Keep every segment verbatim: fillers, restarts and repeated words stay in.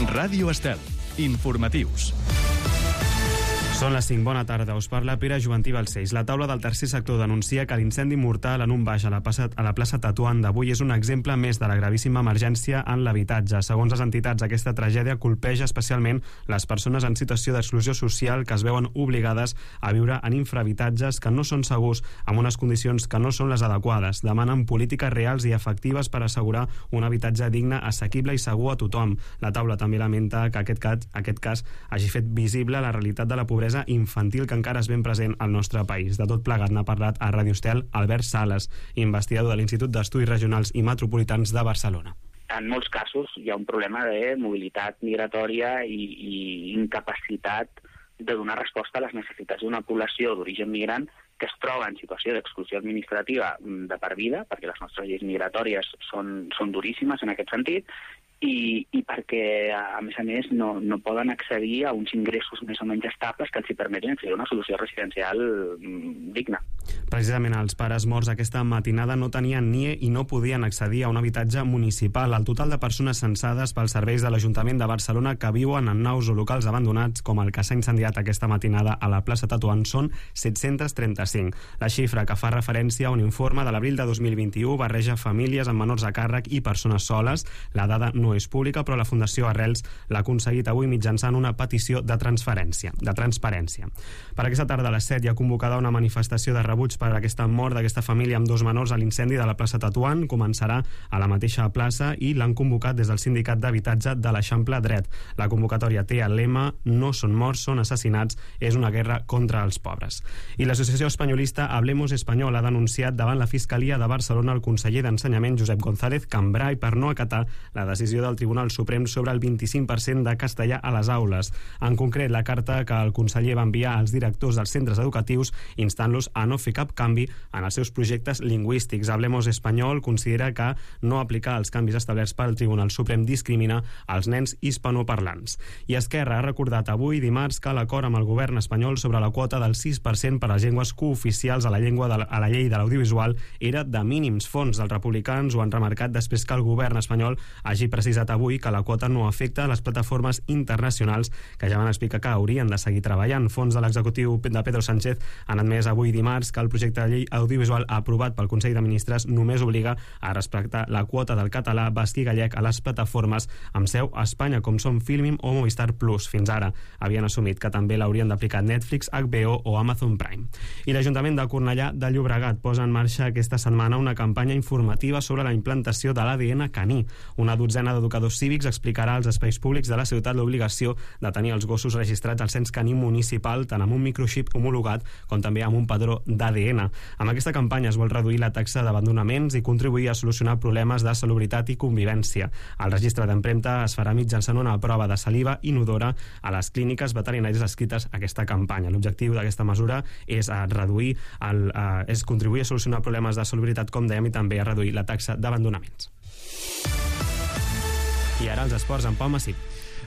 Ràdio Estel. Informatius. Són les cinc. Bona tarda. Us parla Pere Juventí Balcells. La taula del tercer sector denuncia que l'incendi mortal en un baix a la plaça, a la plaça Tetuan d'avui és un exemple més de la gravíssima emergència en l'habitatge. Segons les entitats, aquesta tragèdia colpeja especialment les persones en situació d'exclusió social que es veuen obligades a viure en infrahabitatges que no són segurs, amb unes condicions que no són les adequades. Demanen polítiques reals i efectives per assegurar un habitatge digne, assequible i segur a tothom. La taula també lamenta que aquest cas, aquest cas hagi fet visible la realitat de la pobresa infantil que encara és ben present al nostre país. De tot plegat n'ha parlat a Ràdio Estel Albert Sales, investigador de l'Institut d'Estudis Regionals i Metropolitans de Barcelona. En molts casos hi ha un problema de mobilitat migratòria i, i incapacitat de donar resposta a les necessitats d'una població d'origen migrant que es troba en situació d'exclusió administrativa de per vida, perquè les nostres lleis migratòries són, són duríssimes en aquest sentit, i, i perquè, a més a més, no, no poden accedir a uns ingressos més o menys estables que els hi permetin accedir a una solució residencial digna. Precisament els pares morts aquesta matinada no tenien N I E i no podien accedir a un habitatge municipal. El total de persones censades pels serveis de l'Ajuntament de Barcelona que viuen en naus o locals abandonats, com el que s'ha incendiat aquesta matinada a la plaça Tetuan, són set-cents trenta-cinc. La xifra, que fa referència a un informe de l'abril de dos mil vint-i-u, barreja famílies amb menors a càrrec i persones soles. La dada no és pública, però la Fundació Arrels l'ha aconseguit avui mitjançant una petició de transferència, de transparència. Per aquesta tarda a les set hi ha convocada una manifestació de rebuig per aquesta mort d'aquesta família amb dos menors a l'incendi de la plaça Tetuan. Començarà a la mateixa plaça i l'han convocat des del Sindicat d'Habitatge de l'Eixample Dret. La convocatòria té el lema "No són morts, són assassinats, és una guerra contra els pobres". I l'associació espanyolista Hablemos Español ha denunciat davant la Fiscalia de Barcelona el conseller d'Ensenyament Josep González Cambray per no acatar la decisió del Tribunal Suprem sobre el vint-i-cinc per cent de castellà a les aules. En concret, la carta que el conseller va enviar als directors dels centres educatius instant-los a no fer cap canvi en els seus projectes lingüístics. Hablemos Espanyol considera que no aplicar els canvis establerts pel Tribunal Suprem discrimina els nens hispanoparlants. I Esquerra ha recordat avui, dimarts, que l'acord amb el govern espanyol sobre la quota del sis per cent per a les llengües cooficials a la llengua de la, a la llei de l'audiovisual era de mínims fons. Els republicans ho han remarcat després que el govern espanyol hagi precisat avui que la quota no afecta les plataformes internacionals que ja van explicar que haurien de seguir treballant. Fons de l'executiu de Pedro Sánchez han admès avui dimarts que el projecte de llei audiovisual aprovat pel Consell de Ministres només obliga a respectar la quota del català, basc i gallec a les plataformes amb seu a Espanya, com són Filmin o Movistar Plus. Fins ara havien assumit que també l'haurien d'aplicar Netflix, H B O o Amazon Prime. I l'Ajuntament de Cornellà de Llobregat posa en marxa aquesta setmana una campanya informativa sobre la implantació de l'A D N caní. Una dotzena d'educadors cívics explicarà als espais públics de la ciutat l'obligació de tenir els gossos registrats al cens caní municipal, tant amb un microxip homologat com també amb un padró d'A D N. Amb aquesta campanya es vol reduir la taxa d'abandonaments i contribuir a solucionar problemes de salubritat i convivència. El registre d'empremta es farà mitjançant una prova de saliva inodora a les clíniques veterinàries adscrites a aquesta campanya. L'objectiu d'aquesta mesura és a reduir el, a, és contribuir a solucionar problemes de salubritat, com dèiem, i també a reduir la taxa d'abandonaments. I ara els esports amb Pau Massip.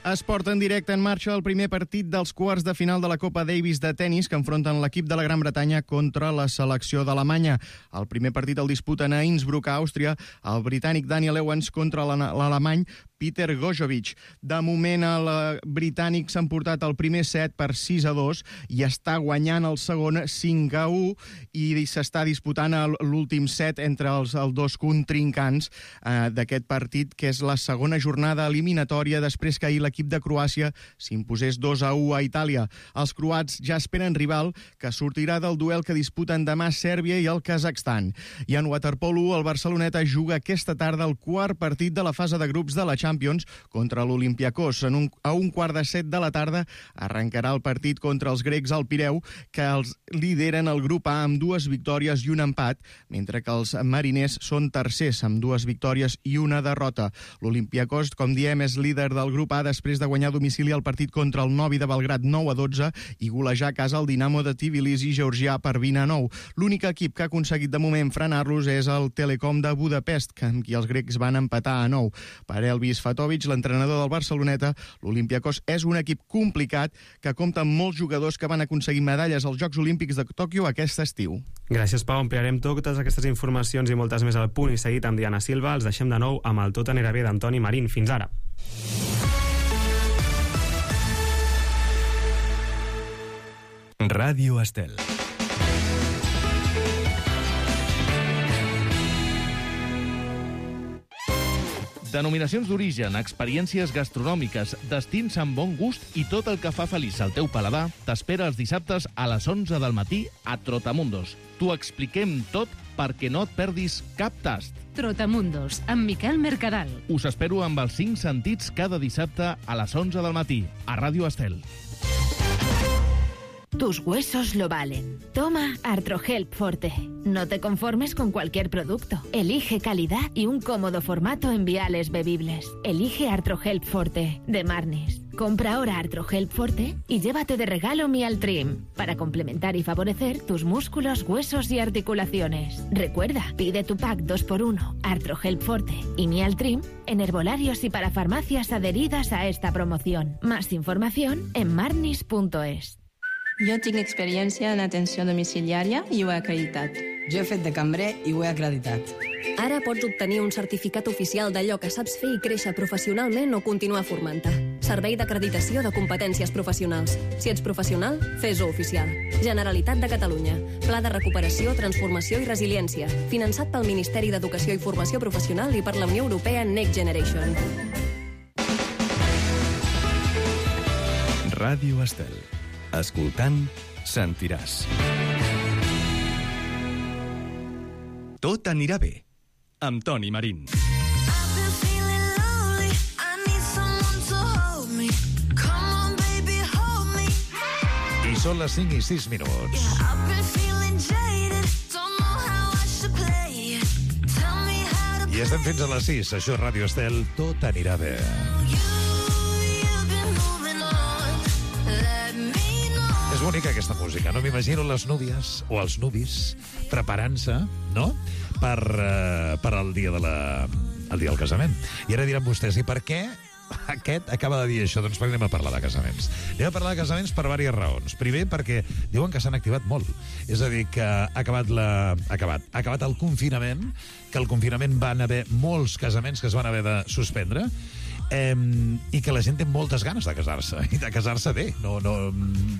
Esport en directe. En marxa el primer partit dels quarts de final de la Copa Davis de tennis que enfronten l'equip de la Gran Bretanya contra la selecció d'Alemanya. El primer partit el disputen a Innsbruck, a Àustria, el britànic Daniel Evans contra l'alemany Peter Gojovic. De moment el britànic s'ha emportat el primer set per sis a dos i està guanyant el segon cinc a u i s'està disputant l'últim set entre els, els dos contrincants eh, d'aquest partit, que és la segona jornada eliminatòria després que ahir l'equip de Croàcia s'imposés dos a u a Itàlia. Els croats ja esperen rival que sortirà del duel que disputen demà Sèrbia i el Kazakhstan. I en waterpolo el Barceloneta juga aquesta tarda el quart partit de la fase de grups de la Champions contra l'Olympiakos. En un, a un quart de set de la tarda arrencarà el partit contra els grecs al Pireu, que els lideren el grup A amb dues victòries i un empat, mentre que els mariners són tercers amb dues victòries i una derrota. L'Olympiakos, com diem, és líder del grup A després de guanyar a domicili el partit contra el Novi de Belgrad nou a dotze i golejar a casa el Dinamo de Tbilisi georgià per vint a nou. L'únic equip que ha aconseguit de moment frenar-los és el Telekom de Budapest, amb qui els grecs van empatar a nou. Per Elvis Fatovic, l'entrenador del Barceloneta, l'Olympiakos és un equip complicat que compta amb molts jugadors que van aconseguir medalles als Jocs Olímpics de Tòquio aquest estiu. Gràcies, Pau. Ampliarem totes aquestes informacions i moltes més al punt i seguit amb Diana Silva. Els deixem de nou amb el Tot anirà bé d'Antoni Marín. Fins ara. Ràdio Estel. Denominacions d'origen, experiències gastronòmiques, destins amb bon gust i tot el que fa feliç el teu paladar t'espera els dissabtes a les onze del matí a Trotamundos. T'ho expliquem tot perquè no et perdis cap tast. Trotamundos, amb Miquel Mercadal. Us espero amb els cinc sentits cada dissabte a les onze del matí a Ràdio Estel. Tus huesos lo valen. Toma Artrohelp Forte. No te conformes con cualquier producto. Elige calidad y un cómodo formato en viales bebibles. Elige Artrohelp Forte, de Marnis. Compra ahora Artrohelp Forte y llévate de regalo Mialtrim, para complementar y favorecer tus músculos, huesos y articulaciones. Recuerda, pide tu pack dos por uno, Artrohelp Forte y Mialtrim, en herbolarios y para farmacias adheridas a esta promoción. Más información en marnis punto es. Jo tinc experiència en atenció domiciliària i ho he acreditat. Jo he fet de cambrer i ho he acreditat. Ara pots obtenir un certificat oficial d'allò que saps fer i créixer professionalment o continuar formant-te. Servei d'acreditació de competències professionals. Si ets professional, fes-ho oficial. Generalitat de Catalunya. Pla de recuperació, transformació i resiliència. Finançat pel Ministeri d'Educació i Formació Professional i per la Unió Europea Next Generation. Ràdio Estel. Escoltant, sentiràs. Tot anirà bé, amb Toni Marín. I són les cinc i sis minuts. I estem fins a les sis. Això és Ràdio Estel. Tot anirà bé. És bonica aquesta música, no? M'imagino les núvies o els nuvis preparant-se, no?, per, uh, per al dia de la, el dia del casament. I ara diran vostès, i per què aquest acaba de dir això? Doncs perquè anem a parlar de casaments. Anem a parlar de casaments per diverses raons. Primer, perquè diuen que s'han activat molt. És a dir, que ha acabat, la... ha acabat, ha acabat el confinament, que al confinament van haver molts casaments que es van haver de suspendre, Eh, i que la gent té moltes ganes de casar-se, i de casar-se bé. No, no,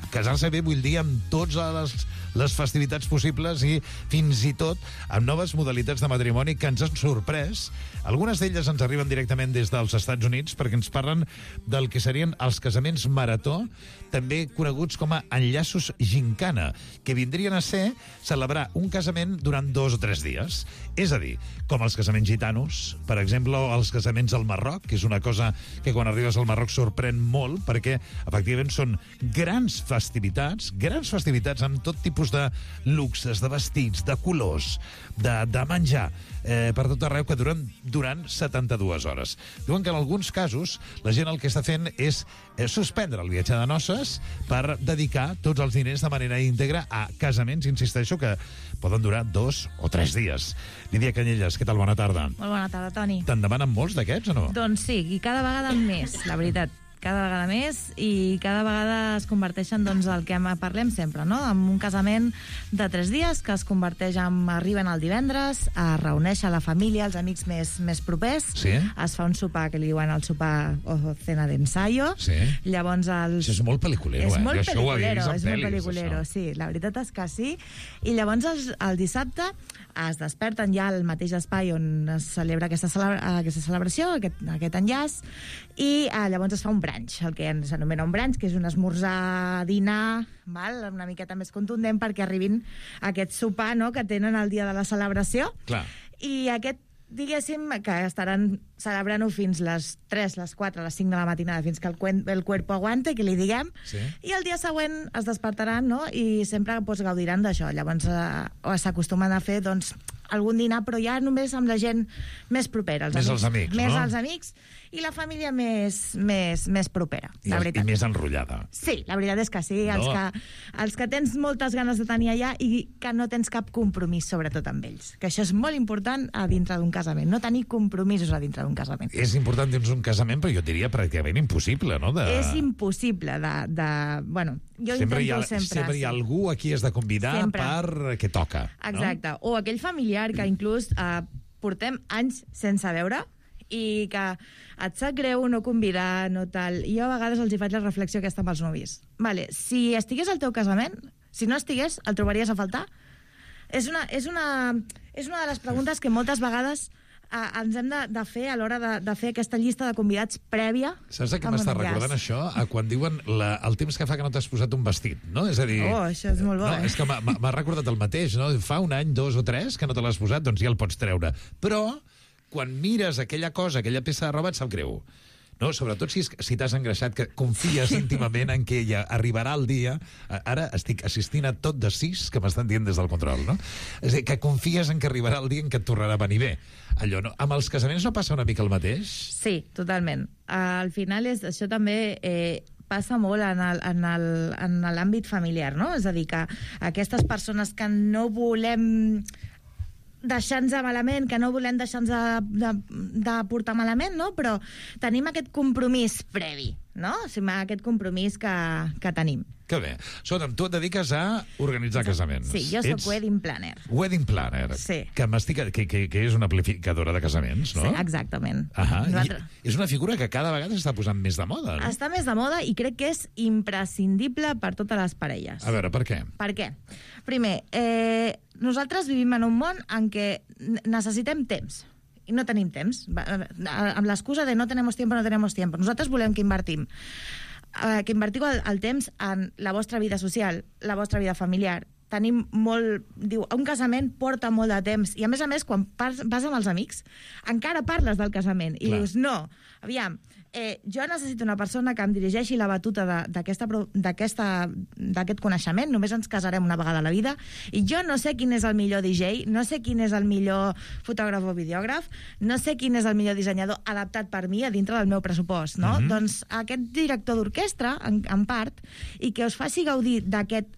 casar-se bé vull dir amb totes les, les festivitats possibles i fins i tot amb noves modalitats de matrimoni que ens han sorprès. Algunes d'elles ens arriben directament des dels Estats Units perquè ens parlen del que serien els casaments marató, també coneguts com a enllaços gincana, que vindrien a ser celebrar un casament durant dos o tres dies. És a dir, com els casaments gitanos, per exemple, o els casaments al Marroc, que és una cosa que quan arribes al Marroc sorprèn molt, perquè efectivament són grans festivitats, grans festivitats amb tot tipus de luxes, de vestits, de colors, de, de menjar, eh, per tot arreu, que duren durant setanta-dues hores. Diuen que en alguns casos la gent el que està fent és eh, suspendre el viatge de noces per dedicar tots els diners de manera íntegra a casaments, insisteixo, que poden durar dos o tres dies. Lídia Canyelles, què tal? Bona tarda. Molt bona tarda, Toni. Te'n demanen molts d'aquests o no? Doncs sí, i cada vegada més, la veritat. Cada vegada més, i cada vegada es converteixen, doncs, el que parlem sempre, no?, en un casament de tres dies que es converteix en... Arriben el divendres, a reuneixer la família, els amics més, més propers, sí? Es fa un sopar que li diuen el sopar o cena d'ensayo, sí? Llavors els... Això és molt pel·liculero, és eh? molt Jo això ho havia pel·liculero, vist en és molt pel·lis, pel·liculero, això. sí, la veritat és que sí. I llavors els, el dissabte es desperten ja al mateix espai on es celebra aquesta, celebra, aquesta celebració, aquest, aquest enllaç, i eh, llavors es fa un brunch, el que s'anomena un brunch, que és un esmorzar, dinar, val? Una miqueta més contundent perquè arribin a aquest sopar, no?, que tenen el dia de la celebració. Clar. I aquest, diguéssim, que estaran celebrant-ho fins les tres, les quatre, les cinc de la matinada, fins que el, cuen, el cuerpo aguante, que li diguem, sí? I el dia següent es despertaran, no?, i sempre pues, gaudiran d'això. Llavors eh, s'acostumen a fer, doncs, algun dinar, però ja només amb la gent més propera. Els més amics, els amics, més no? els amics i la família més, més, més propera, I, la el, veritat. I més enrotllada. Sí, la veritat és que sí. No. Els, que, els que tens moltes ganes de tenir allà i que no tens cap compromís, sobretot amb ells. Que això és molt important a dintre d'un casament. No tenir compromisos a dintre d'un casament. És important dins un casament, però jo diria pràcticament impossible, no? De... És impossible de... de bueno, jo sempre intento hi ha, sempre... Sempre hi ha sí. algú a qui has de convidar sempre. Per què toca. Exacte. No? O aquell familiar que inclús eh, portem anys sense veure i que et sap greu no convidar, no tal. I jo a vegades els hi faig la reflexió aquesta amb els nuvis. Vale, si estigués al teu casament, Si no estigués, el trobaries a faltar? És una, és una, és una de les preguntes que moltes vegades eh, ens hem de, de fer a l'hora de, de fer aquesta llista de convidats prèvia. Saps que m'està recordant això? A quan diuen la, el temps que fa que no t'has posat un vestit, no? És a dir... Oh, això és molt bo, no, eh? És que m'ha recordat el mateix, no? Fa un any, dos o tres, que no te l'has posat, doncs ja el pots treure. Però, quan mires aquella cosa, aquella peça de roba, et sap greu. No? Sobretot si, si t'has engreixat, que confies íntimament en que ja arribarà el dia. Ara estic assistint a tot de sis que m'estan dient des del control, no? És a dir, que confies en que arribarà el dia en què et tornarà a venir bé. Allò, no? Amb els casaments no passa una mica el mateix? Sí, totalment. Al final, és, això també eh, passa molt en el- en el- en l'àmbit familiar, no? És a dir, que aquestes persones que no volem deixar-nos malament, que no volem deixar-nos de, de, de portar malament, no? Però tenim aquest compromís previ, no? O sigui, aquest compromís que, que tenim. Que bé. Escolta'm, tu et dediques a organitzar casaments. Sí, jo soc Ets wedding planner. Wedding planner. Sí. Que, m'estic, que, que, que és una amplificadora de casaments, no? Sí, exactament. Ahà. Nosaltres- I és una figura que cada vegada s'està posant més de moda, no? Està més de moda i crec que és imprescindible per totes les parelles. A veure, per què? Per què? Primer, eh, nosaltres vivim en un món en què n- necessitem temps i no tenim temps. Va, eh, Amb l'excusa de no tenemos tiempo, no tenemos tiempo. Nosaltres volem que invertim. Eh, que invertiu el, el temps en la vostra vida social, la vostra vida familiar. Tenim molt... Diu, un casament porta molt de temps. I, a més a més, quan pas, vas amb els amics, encara parles del casament. I Clar. dius, no, aviam, eh, jo necessito una persona que em dirigeixi la batuta de- d'aquesta pro- d'aquesta- d'aquest coneixement. Només ens casarem una vegada a la vida. I jo no sé quin és el millor D J, no sé quin és el millor fotògraf o videògraf, no sé quin és el millor dissenyador adaptat per mi a dintre del meu pressupost, no? Mhm. Doncs aquest director d'orquestra, en, en part, i que us faci gaudir d'aquest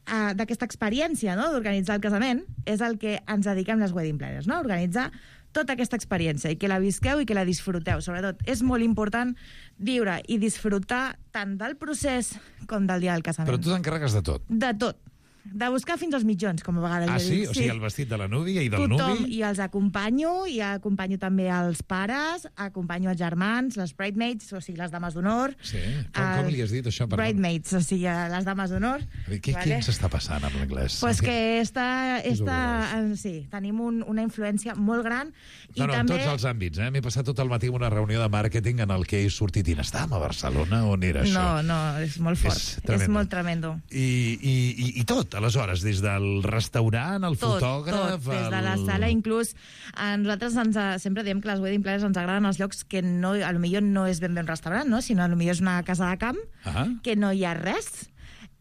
uh, d'aquesta experiència, no?, d'organitzar el casament, és el que ens dediquem les wedding planners, no?, organitzar tota aquesta experiència i que la visqueu i que la disfruteu. Sobretot, és molt important viure i disfrutar tant del procés com del dia del casament. Però tu t'encarregues de tot. De tot. De buscar fins als mitjons, com a vegades Ah, jo sí? dic. O sigui, el vestit de la núvia i del Tothom, nuvi... i els acompanyo, i acompanyo també els pares, acompanyo els germans, les bridesmaids, o sigui, les dames d'honor. Sí. Com, com li has dit això? Perdó. Bridesmaids, o sigui, les dames d'honor. Què, què ens està passant amb l'anglès? Pues que està, És està, eh, sí, tenim un, una influència molt gran. I No, no, també... en tots els àmbits. Eh? M'he passat tot el matí en una reunió de màrqueting en el que he sortit i estàvem a Barcelona. On era això? No, no, és molt fort. És És, tremendo. molt tremendo. I, i, i, I tot, aleshores, des del restaurant, el Tot, fotògraf... tot, des de la el- sala, inclús a nosaltres ens, a- sempre diem que les wedding planners ens agraden els llocs que no, a lo millor no és ben bé un restaurant, no? Sinó a lo millor és una casa de camp, Ah. que no hi ha res,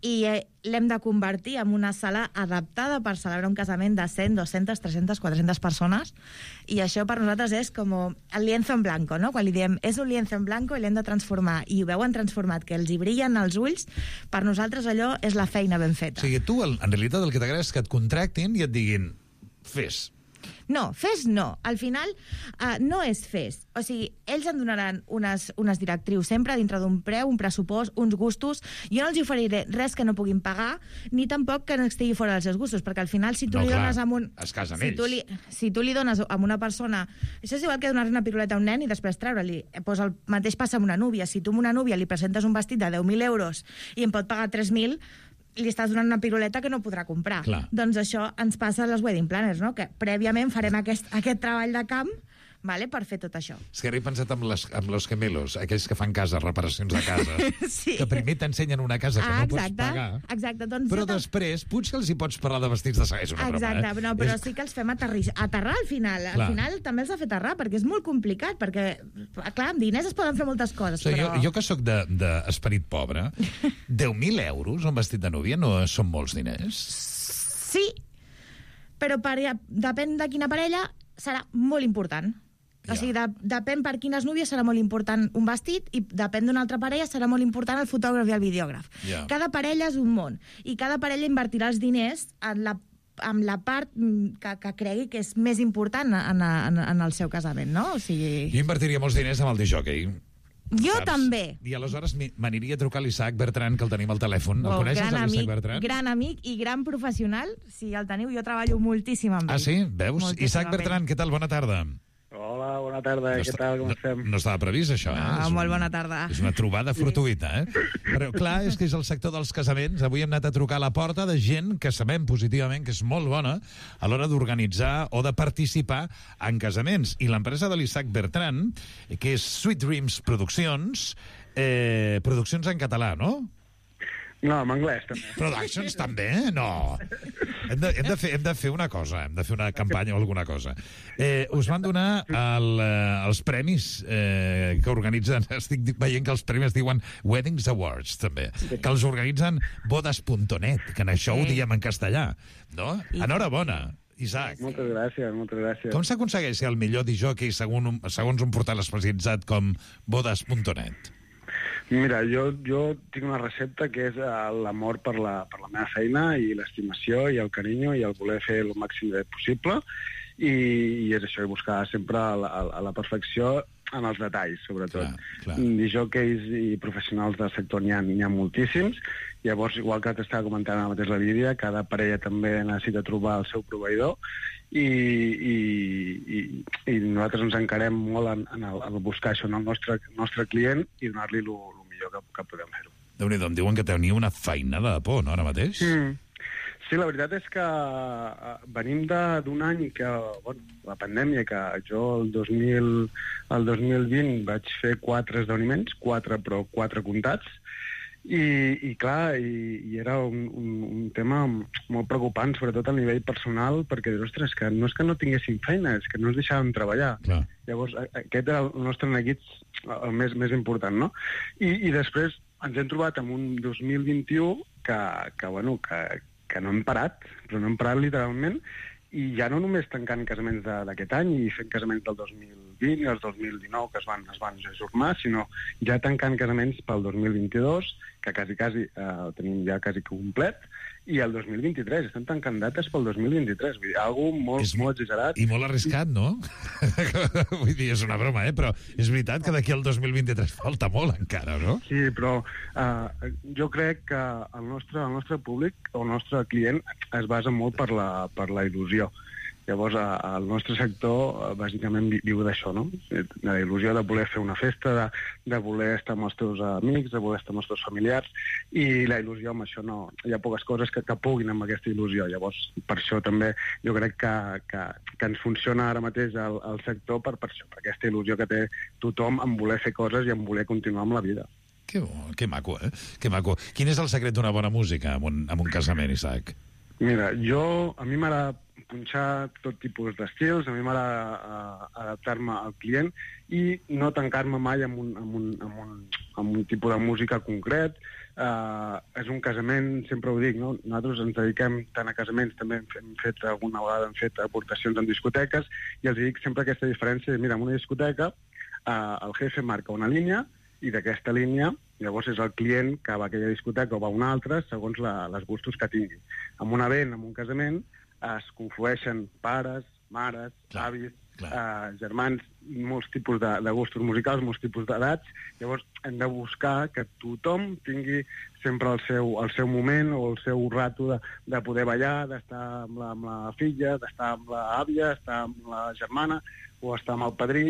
i eh, l'hem de convertir en una sala adaptada per celebrar un casament de cent, dues-centes, tres-centes, quatre-centes persones, i això per nosaltres és com el lienzo en blanco, no? Quan li diem és un lienzo en blanco i l'hem de transformar, i ho veuen transformat, que els hi brillen els ulls, per nosaltres allò és la feina ben O feta. sigui, tu, el- en realitat, el que t'agrada és que et contractin i et diguin fes. No, fes no. Al final, uh, no és fes. O sigui, ells em donaran unes, unes directrius sempre dintre d'un preu, un pressupost, uns gustos. Jo no els hi oferiré res que no puguin pagar, ni tampoc que no estigui fora dels seus gustos, perquè al final, si tu No, li clar, dones amb un... es casen si ells. tu li, si tu li dones amb una persona... Això és igual que donar una piruleta a un nen i després treure-li. Pues el mateix passa amb una núvia. Si tu a una núvia li presentes un vestit de deu mil euros i em pot pagar tres mil, li estàs donant una piruleta que no podrà comprar. Clar. Doncs això ens passa a les wedding planners, no? Que prèviament farem aquest, aquest treball de camp, vale, per fer tot això. És que ara he pensat amb, les, amb los gemelos, aquells que fan cases, reparacions de cases, Sí. que primer t'ensenyen una casa que Ah, no pots exacte, pagar, exacte. Doncs però jo tam- després potser els hi pots parlar de vestits de saga. És una Exacte, broma, eh? no, però És- sí que els fem aterrir, aterrar al final. Al Clar. final també els ha fet aterrar, perquè és molt complicat, perquè, clar, amb diners es poden fer moltes coses, O sigui, però... jo, jo que sóc d'esperit de, pobre, deu mil euros un vestit de núvia no són molts diners? Sí, però per, depèn de quina parella serà molt important. O sigui, de, depèn per quines núvies serà molt important un vestit i depèn d'una altra parella serà molt important el fotògraf i el videògraf. Ja. Cada parella és un món i cada parella invertirà els diners en la amb la part mm, que, que cregui que és més important en, en, en el seu casament, no? O sigui... Jo invertiria molts diners amb el disjockey. Jo Saps? també. I aleshores mi- m'aniria a trucar a l'Isaac Bertran, que el tenim al telèfon. El Oh, coneixes, gran l'Isaac amic, Bertran? gran amic i gran professional. Si el teniu, jo treballo moltíssim amb ell. Ah, sí? Veus? Moltíssim Isaac amb ell. Bertran, què tal? Bona tarda. Hola, Hola, bona tarda, no què està, tal, com no, estem? No estava previst, això, eh? Ah, és molt un, bona tarda. És una trobada fortuïta, eh? Però, clar, és que és el sector dels casaments. Avui hem anat a trucar a la porta de gent que sabem positivament que és molt bona a l'hora d'organitzar o de participar en casaments. I l'empresa de l'Isaac Bertran, que és Sweet Dreams Produccions, eh, produccions en català, no? No, en anglès, també. Productions, també? No. Hem de, hem, de fer, hem de fer una cosa, hem de fer una campanya o alguna cosa. Eh, us van donar el, eh, els premis eh, que organitzen, estic veient que els premis es diuen Weddings Awards, també, que els organitzen bodas punt net, que en això ho diem en castellà, no? Enhorabona, Isaac. Moltes gràcies, moltes gràcies. Com s'aconsegueix ser el millor disjockey segons un, segons un portal especialitzat com bodas punt net? Mira, jo, jo tinc una recepta que és l'amor per la, per la meva feina i l'estimació i el carinyo i el voler fer el màxim de possible i, i és això, i buscar sempre la, la, la perfecció en els detalls, sobretot. Clar, clar. Disjockeys i professionals del sector n'hi ha, n'hi ha moltíssims. Llavors, igual que t'estava comentant ara mateix la Lídia, cada parella també necessita trobar el seu proveïdor i, i, i, i nosaltres ens encarem molt en, en, el, en el buscar això en el nostre, nostre client i donar-li el millor que, que podem fer-ho. Déu-n'hi-do, em diuen que teniu una feinada de por, no, ara mateix? Mm. Sí, la veritat és que uh, venim d'un any que, bueno, la pandèmia, que jo el dos mil, el dos mil vint vaig fer quatre esdeveniments, quatre però quatre comptats, i, i clar, i, i era un, un, un tema molt preocupant, sobretot a nivell personal, perquè, ostres, que no és que no tinguéssim feina, és que no ens deixàvem treballar. Clar. Llavors, aquest era el nostre neguit el més, més important, no? I, i després ens hem trobat en un dos mil vint-i-u que, que bueno, que, que no hem parat, però no hem parat literalment, i ja no només tancant casaments d'aquest any i fent casaments del dos mil vint i els dos mil dinou que es van, es van ajornar, sinó ja tancant casaments pel dos mil vint-i-dos, que quasi, quasi eh, tenim ja quasi complet, i el dos mil vint-i-tres. Estan tancant dates pel dos mil vint-i-tres. Vull dir, algo molt, és molt exagerat. I molt arriscat, no? Vull dir, és una broma, eh? Però és veritat que d'aquí al dos mil vint-i-tres falta molt encara, no? Sí, però eh, jo crec que el nostre, el nostre públic, el nostre client, es basa molt per la, per la il·lusió. Llavors, el nostre sector, bàsicament, viu d'això, no? De la il·lusió de voler fer una festa, de, de voler estar amb els teus amics, de voler estar amb els teus familiars, i la il·lusió amb això no... Hi ha poques coses que, que puguin amb aquesta il·lusió. Llavors, per això també jo crec que, que, que ens funciona ara mateix el, el sector per, per això, per aquesta il·lusió que té tothom en voler fer coses i en voler continuar amb la vida. Que bo, que maco, eh? Que maco. Quin és el secret d'una bona música en un, en un casament, Isaac? Mira, jo... A mi m'agrada punxar tot tipus d'estils, a mi m'agrada adaptar-me al client i no tancar-me mai amb un, amb un, amb un, amb un tipus de música concret. Uh, és un casament, sempre ho dic, no? Nosaltres ens dediquem tant a casaments, també hem, hem fet alguna vegada hem fet aportacions en discoteques, i els dic sempre aquesta diferència, mira, en una discoteca uh, el jefe marca una línia, i d'aquesta línia llavors és el client que va a aquella discoteca o va a una altra segons la, les gustos que tingui. En un event, en un casament, es conflueixen pares, mares, clar, avis, eh, germans, molts tipus de, de gustos musicals, molts tipus d'edats. Llavors hem de buscar que tothom tingui sempre el seu, el seu moment o el seu rato de, de poder ballar, d'estar amb la, amb la filla, d'estar amb l'àvia, d'estar amb la germana o estar amb el padrí,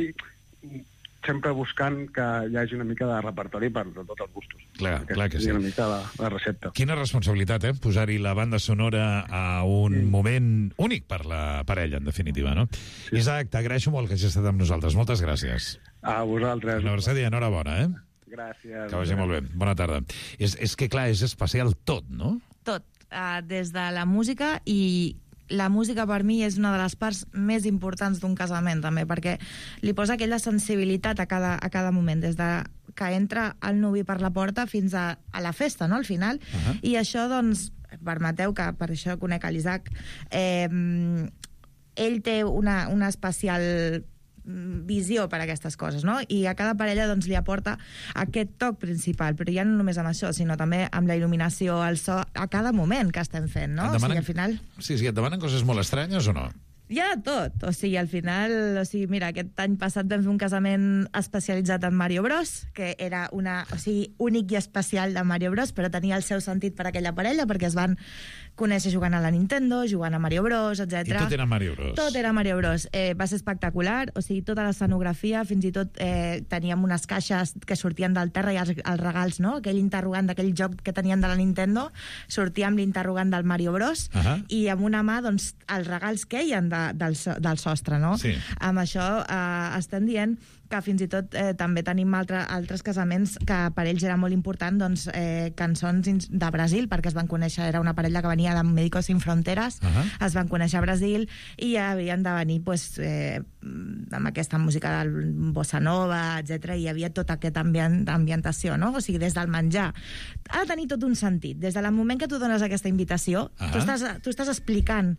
sempre buscant que hi hagi una mica de repertori per tots els gustos. Clar, clar que sí. Una mica la, la recepta. Quina responsabilitat, eh? Posar-hi la banda sonora a un mm. moment únic per la parella, en definitiva, no? Sí. Isaac, t'agraeixo molt que hagis estat amb nosaltres. Moltes gràcies. A vosaltres. Una abraçada i enhorabona, eh? Gràcies. Que vagi molt bé. Bona tarda. És, és que, clar, és especial tot, no? Tot. Uh, des de la música i... La música per mi és una de les parts més importants d'un casament, també, perquè li posa aquella sensibilitat a cada, a cada moment, des de que entra el nuvi per la porta fins a, a la festa, no?, al final. Uh-huh. I això, doncs, permeteu que, per això conec l'Isaac, eh, ell té una, una especial visió per a aquestes coses, no? I a cada parella doncs, li aporta aquest toc principal, però ja no només amb això, sinó també amb la il·luminació, el so, a cada moment que estem fent, no? Demanen... O sigui, al final... Sí, sí, et demanen coses molt estranyes o no? Hi ha de tot, o sigui, al final, o sigui, mira, aquest any passat vam fer un casament especialitzat en Mario Bros, que era una, o sigui, únic i especial de Mario Bros, però tenia el seu sentit per aquella parella, perquè es van conèixer jugant a la Nintendo, jugant a Mario Bros, etcètera. I tot era Mario Bros. Tot era Mario Bros. Eh, va ser espectacular, o sigui, tota l'escenografia, fins i tot eh, teníem unes caixes que sortien del terra i els, els regals, no? Aquell interrogant d'aquell joc que tenien de la Nintendo, sortia amb l'interrogant del Mario Bros, uh -huh. i amb una mà, doncs, els regals queien de, del, del sostre, no? Sí. Amb això eh, estem dient que fins i tot eh, també tenim altre, altres casaments que per ells era molt important, doncs, eh, cançons de Brasil, perquè es van conèixer, era una parella que venia de Médicos Sin Fronteras, uh -huh. es van conèixer a Brasil i havien de venir pues, eh, amb aquesta música del bossa nova, etcètera, i hi havia tota aquesta ambient, ambientació, no? O sigui, des del menjar. Ha de tenir tot un sentit. Des del moment que tu dones aquesta invitació, uh -huh. tu, estàs, tu estàs explicant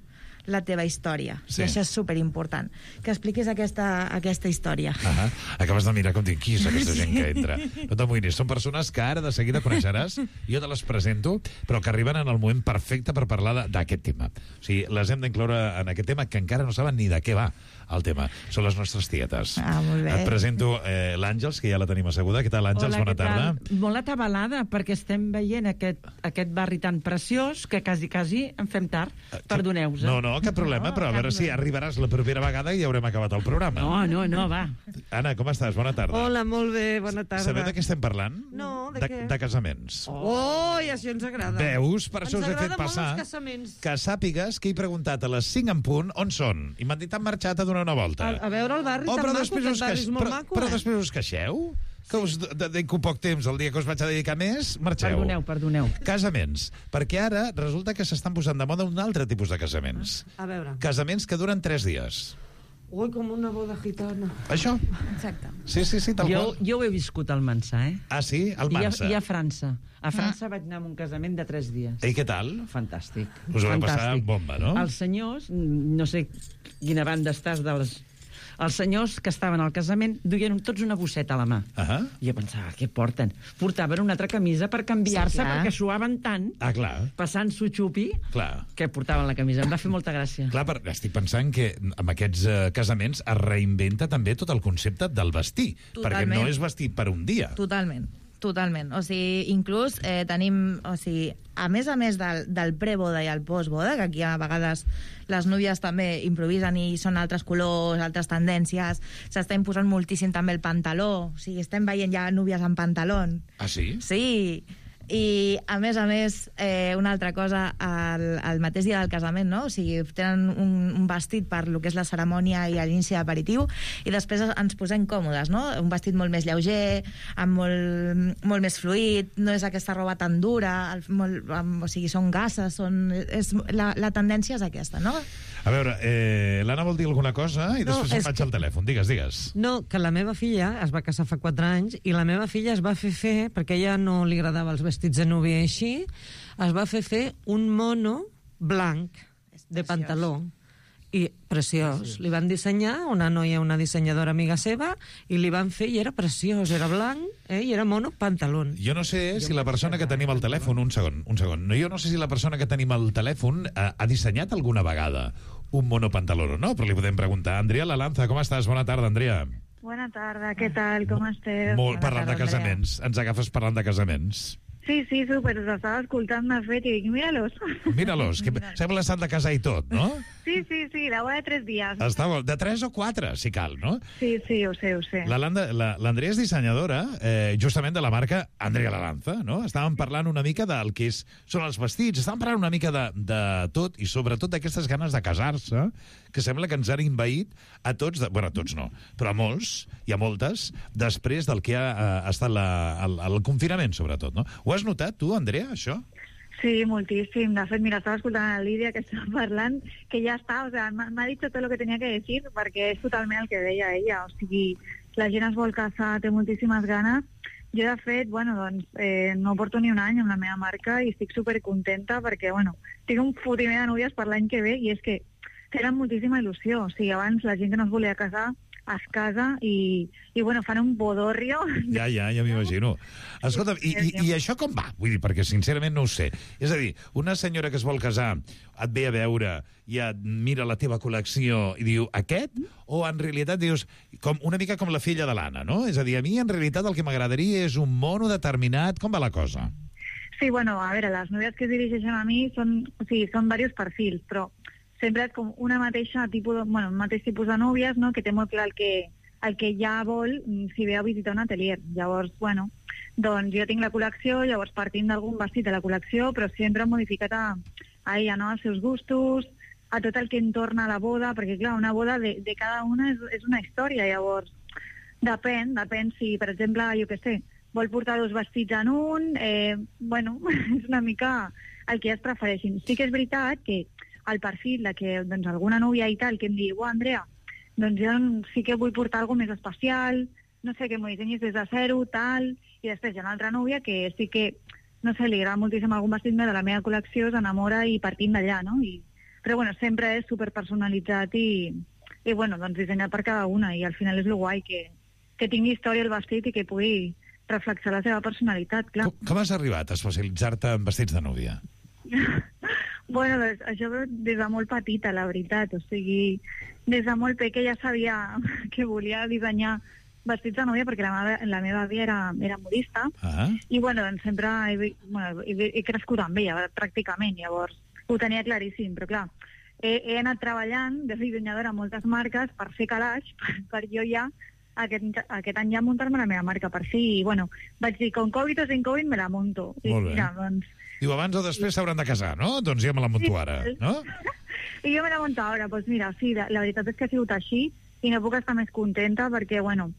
la teva història. Sí. I això és superimportant. Que expliquis aquesta, aquesta història. Uh -huh. Acabes de mirar com dic, qui és aquesta gent que entra? No t'amoïnis, són persones que ara de seguida coneixeràs, jo te les presento, però que arriben en el moment perfecte per parlar d'aquest tema. O sigui, les hem d'incloure en aquest tema, que encara no saben ni de què va el tema. Són les nostres tietes. Ah, molt bé. Et presento eh, l'Àngels, que ja la tenim asseguda. Què tal, Àngels? Hola, Bona què tal? tarda. Molt atabalada, perquè estem veient aquest, aquest barri tan preciós que quasi, quasi em fem tard. Perdoneu-vos. No, no, cap problema, no, però a veure si arribaràs la propera vegada i ja haurem acabat el programa. No, no, no, va. Anna, com estàs? Bona tarda. Hola, molt bé, bona tarda. Sabeu de què estem parlant? No, de, de què? De casaments. Oh, i això ens agrada. Veus? Per això ens us he fet agrada passar molt els casaments. que sàpigues que he preguntat a les cinc en punt on són. I m'han dit han marxat a donar una volta. A, a veure el barri oh, tan però maco, després aquest us barri queix... és molt però, maco, però eh? després us queixeu? Que us dedico poc temps el dia que us vaig a dedicar més, marxeu. Perdoneu, perdoneu. Casaments. Perquè ara resulta que s'estan posant de moda un altre tipus de casaments. A veure. Casaments que duren tres dies. Ui, com una boda gitana. Això? Exacte. Sí, sí, sí, tal jo, qual. jo ho he viscut al Mansà, eh? Ah, sí? Al Mansa. I a, i a França. A França ah. vaig anar a un casament de tres dies. I què tal? Fantàstic. Us ho va Fantàstic. passar bomba, no? Els senyors, no sé quina banda estàs de les... Els senyors que estaven al casament duien tots una bosseta a la mà. Uh -huh. I jo pensava, què porten? Portaven una altra camisa per canviar-se, sí, perquè suaven tant, ah, clar. passant-s'ho xupi, clar. que portaven la camisa. Em va fer molta gràcia. Clar, però estic pensant que amb aquests uh, casaments es reinventa també tot el concepte del vestir. Totalment. Perquè no és vestir per un dia. Totalment. Totalment. O sigui, inclús eh, tenim... O sigui, a més a més del, del preboda i el postboda, que aquí a vegades les núvies també improvisen i són altres colors, altres tendències, s'està imposant moltíssim també el pantaló. O sigui, estem veient ja núvies amb pantaló. Ah, sí? Sí. I, a més a més, eh, una altra cosa, el, el mateix dia del casament, no? O sigui, tenen un, un vestit per lo que és la cerimònia i l'inici d'aperitiu, i després ens posem còmodes, no? Un vestit molt més lleuger, amb molt, molt més fluid, no és aquesta roba tan dura, el, molt, amb, o sigui, són gasses, són, és, la, la tendència és aquesta, no? A veure, eh, l'Anna vol dir alguna cosa i No, després em és vaig que- al telèfon. Digues, digues. No, que la meva filla es va casar fa quatre anys i la meva filla es va fer fer, perquè a ella no li agradava els vestits de núvia i així, es va fer fer un mono blanc de pantaló. I preciós. Li van dissenyar, una noia, una dissenyadora amiga seva, i li van fer, i era preciós, era blanc, eh, i era mono pantalón. Jo no sé si la persona que tenim al telèfon... Un segon, un segon. No, jo no sé si la persona que tenim al telèfon ha, ha dissenyat alguna vegada un monopantaló o no, però li podem preguntar. Andrea Lalanza, com estàs? Bona tarda, Andrea. Bona tarda, què tal? Com esteu? Molt parlant de casaments. Ens agafes parlant de casaments. Sí, sí, súper, us estava escoltant de fet i dic, míralos. Míralos, que sembla que s'han de casar i tot, no? Sí, sí, sí, la boda de tres dies. Està bo. De tres o quatre, si cal, no? Sí, sí, ho sé, ho sé. La Landa- la- L'Andrea és dissenyadora, eh, justament de la marca Andrea Lalanza, no? Estàvem parlant una mica del que és, són els vestits, estàvem parlant una mica de, de tot, i sobretot d'aquestes ganes de casar-se, que sembla que ens han invaït a tots, de, bueno, a tots no, però a molts, i a moltes, després del que ha eh, estat la, el, el confinament, sobretot, no? Ho has notat, tu, Andrea, això? Sí, moltíssim. De fet, mira, estava escoltant a Lídia que estava parlant, que ja està, o sea, m'ha m'ha dit tot el que tenia que dir, perquè és totalment el que deia ella. O sigui, la gent es vol casar, té moltíssimes ganes. Jo, de fet, bueno, doncs, eh, no porto ni un any amb la meva marca i estic supercontenta perquè, bueno, tinc un fotimer de núvies per l'any que ve i és que tenen moltíssima il·lusió. O sigui, abans la gent que no es volia casar es casa i, i bueno, fan un bodorrio. Ja, ja, ja m'imagino. Escolta, i, i, i això com va? Vull dir, perquè sincerament no ho sé. És a dir, una senyora que es vol casar et ve a veure i et mira la teva col·lecció i diu, aquest? O en realitat dius, com, una mica com la filla de l'Anna, no? És a dir, a mi en realitat el que m'agradaria és un mono determinat. Com va la cosa? Sí, bueno, a veure, les noies que es dirigeixen a mi són, o sigui, són diversos perfils, però sempre és com una mateixa tipus de, bueno, un mateix tipus de núvies, no?, que té molt clar el que, el que ja vol si ve a visitar un atelier. Llavors, bueno, doncs jo tinc la col·lecció, llavors partim d'algun vestit de la col·lecció, però sempre modificat a, a ella, no?, als seus gustos, a tot el que entorna a la boda, perquè, clar, una boda de, de cada una és, és una història, llavors depèn, depèn si, per exemple, jo què sé, vol portar dos vestits en un, eh, bueno, és una mica el que es prefereixin. Sí que és veritat que el perfil de que doncs, alguna núvia i tal que em digui, oh, Andrea, doncs jo sí que vull portar alguna més especial, no sé, que m'ho dissenyis des de zero, tal, i després hi ha una altra núvia que sí que, no sé, li agrada moltíssim algun vestit més de la meva col·lecció, s'enamora i partim d'allà, no? I, però bueno, sempre és superpersonalitzat i, i bueno, doncs dissenyat per cada una, i al final és lo guai, que, que tingui història el vestit i que pugui reflexar la seva personalitat, clar. Com, com has arribat a especialitzar-te en vestits de núvia? Bueno, doncs, això des de molt petita, la veritat. O sigui, des de molt pequeña ja sabia que volia dissenyar vestits de núvia perquè la meva, la meva àvia era, era modista. Ah. I bueno, doncs sempre he, bueno, he, he crescut amb ella, pràcticament. Llavors ho tenia claríssim, però clar, he, he anat treballant de dissenyadora a moltes marques per fer calaix, per, per jo ja aquest, aquest any ja muntar-me la meva marca per si. I bueno, vaig dir, con Covid o sin Covid me la monto. I molt bé. Mira, doncs, Diu, abans o després s'hauran de casar, no? Doncs ja me la monto ara, no? I jo me la monto ara, doncs mira, sí, la, la veritat és que ha sigut així i no puc estar més contenta perquè, bueno,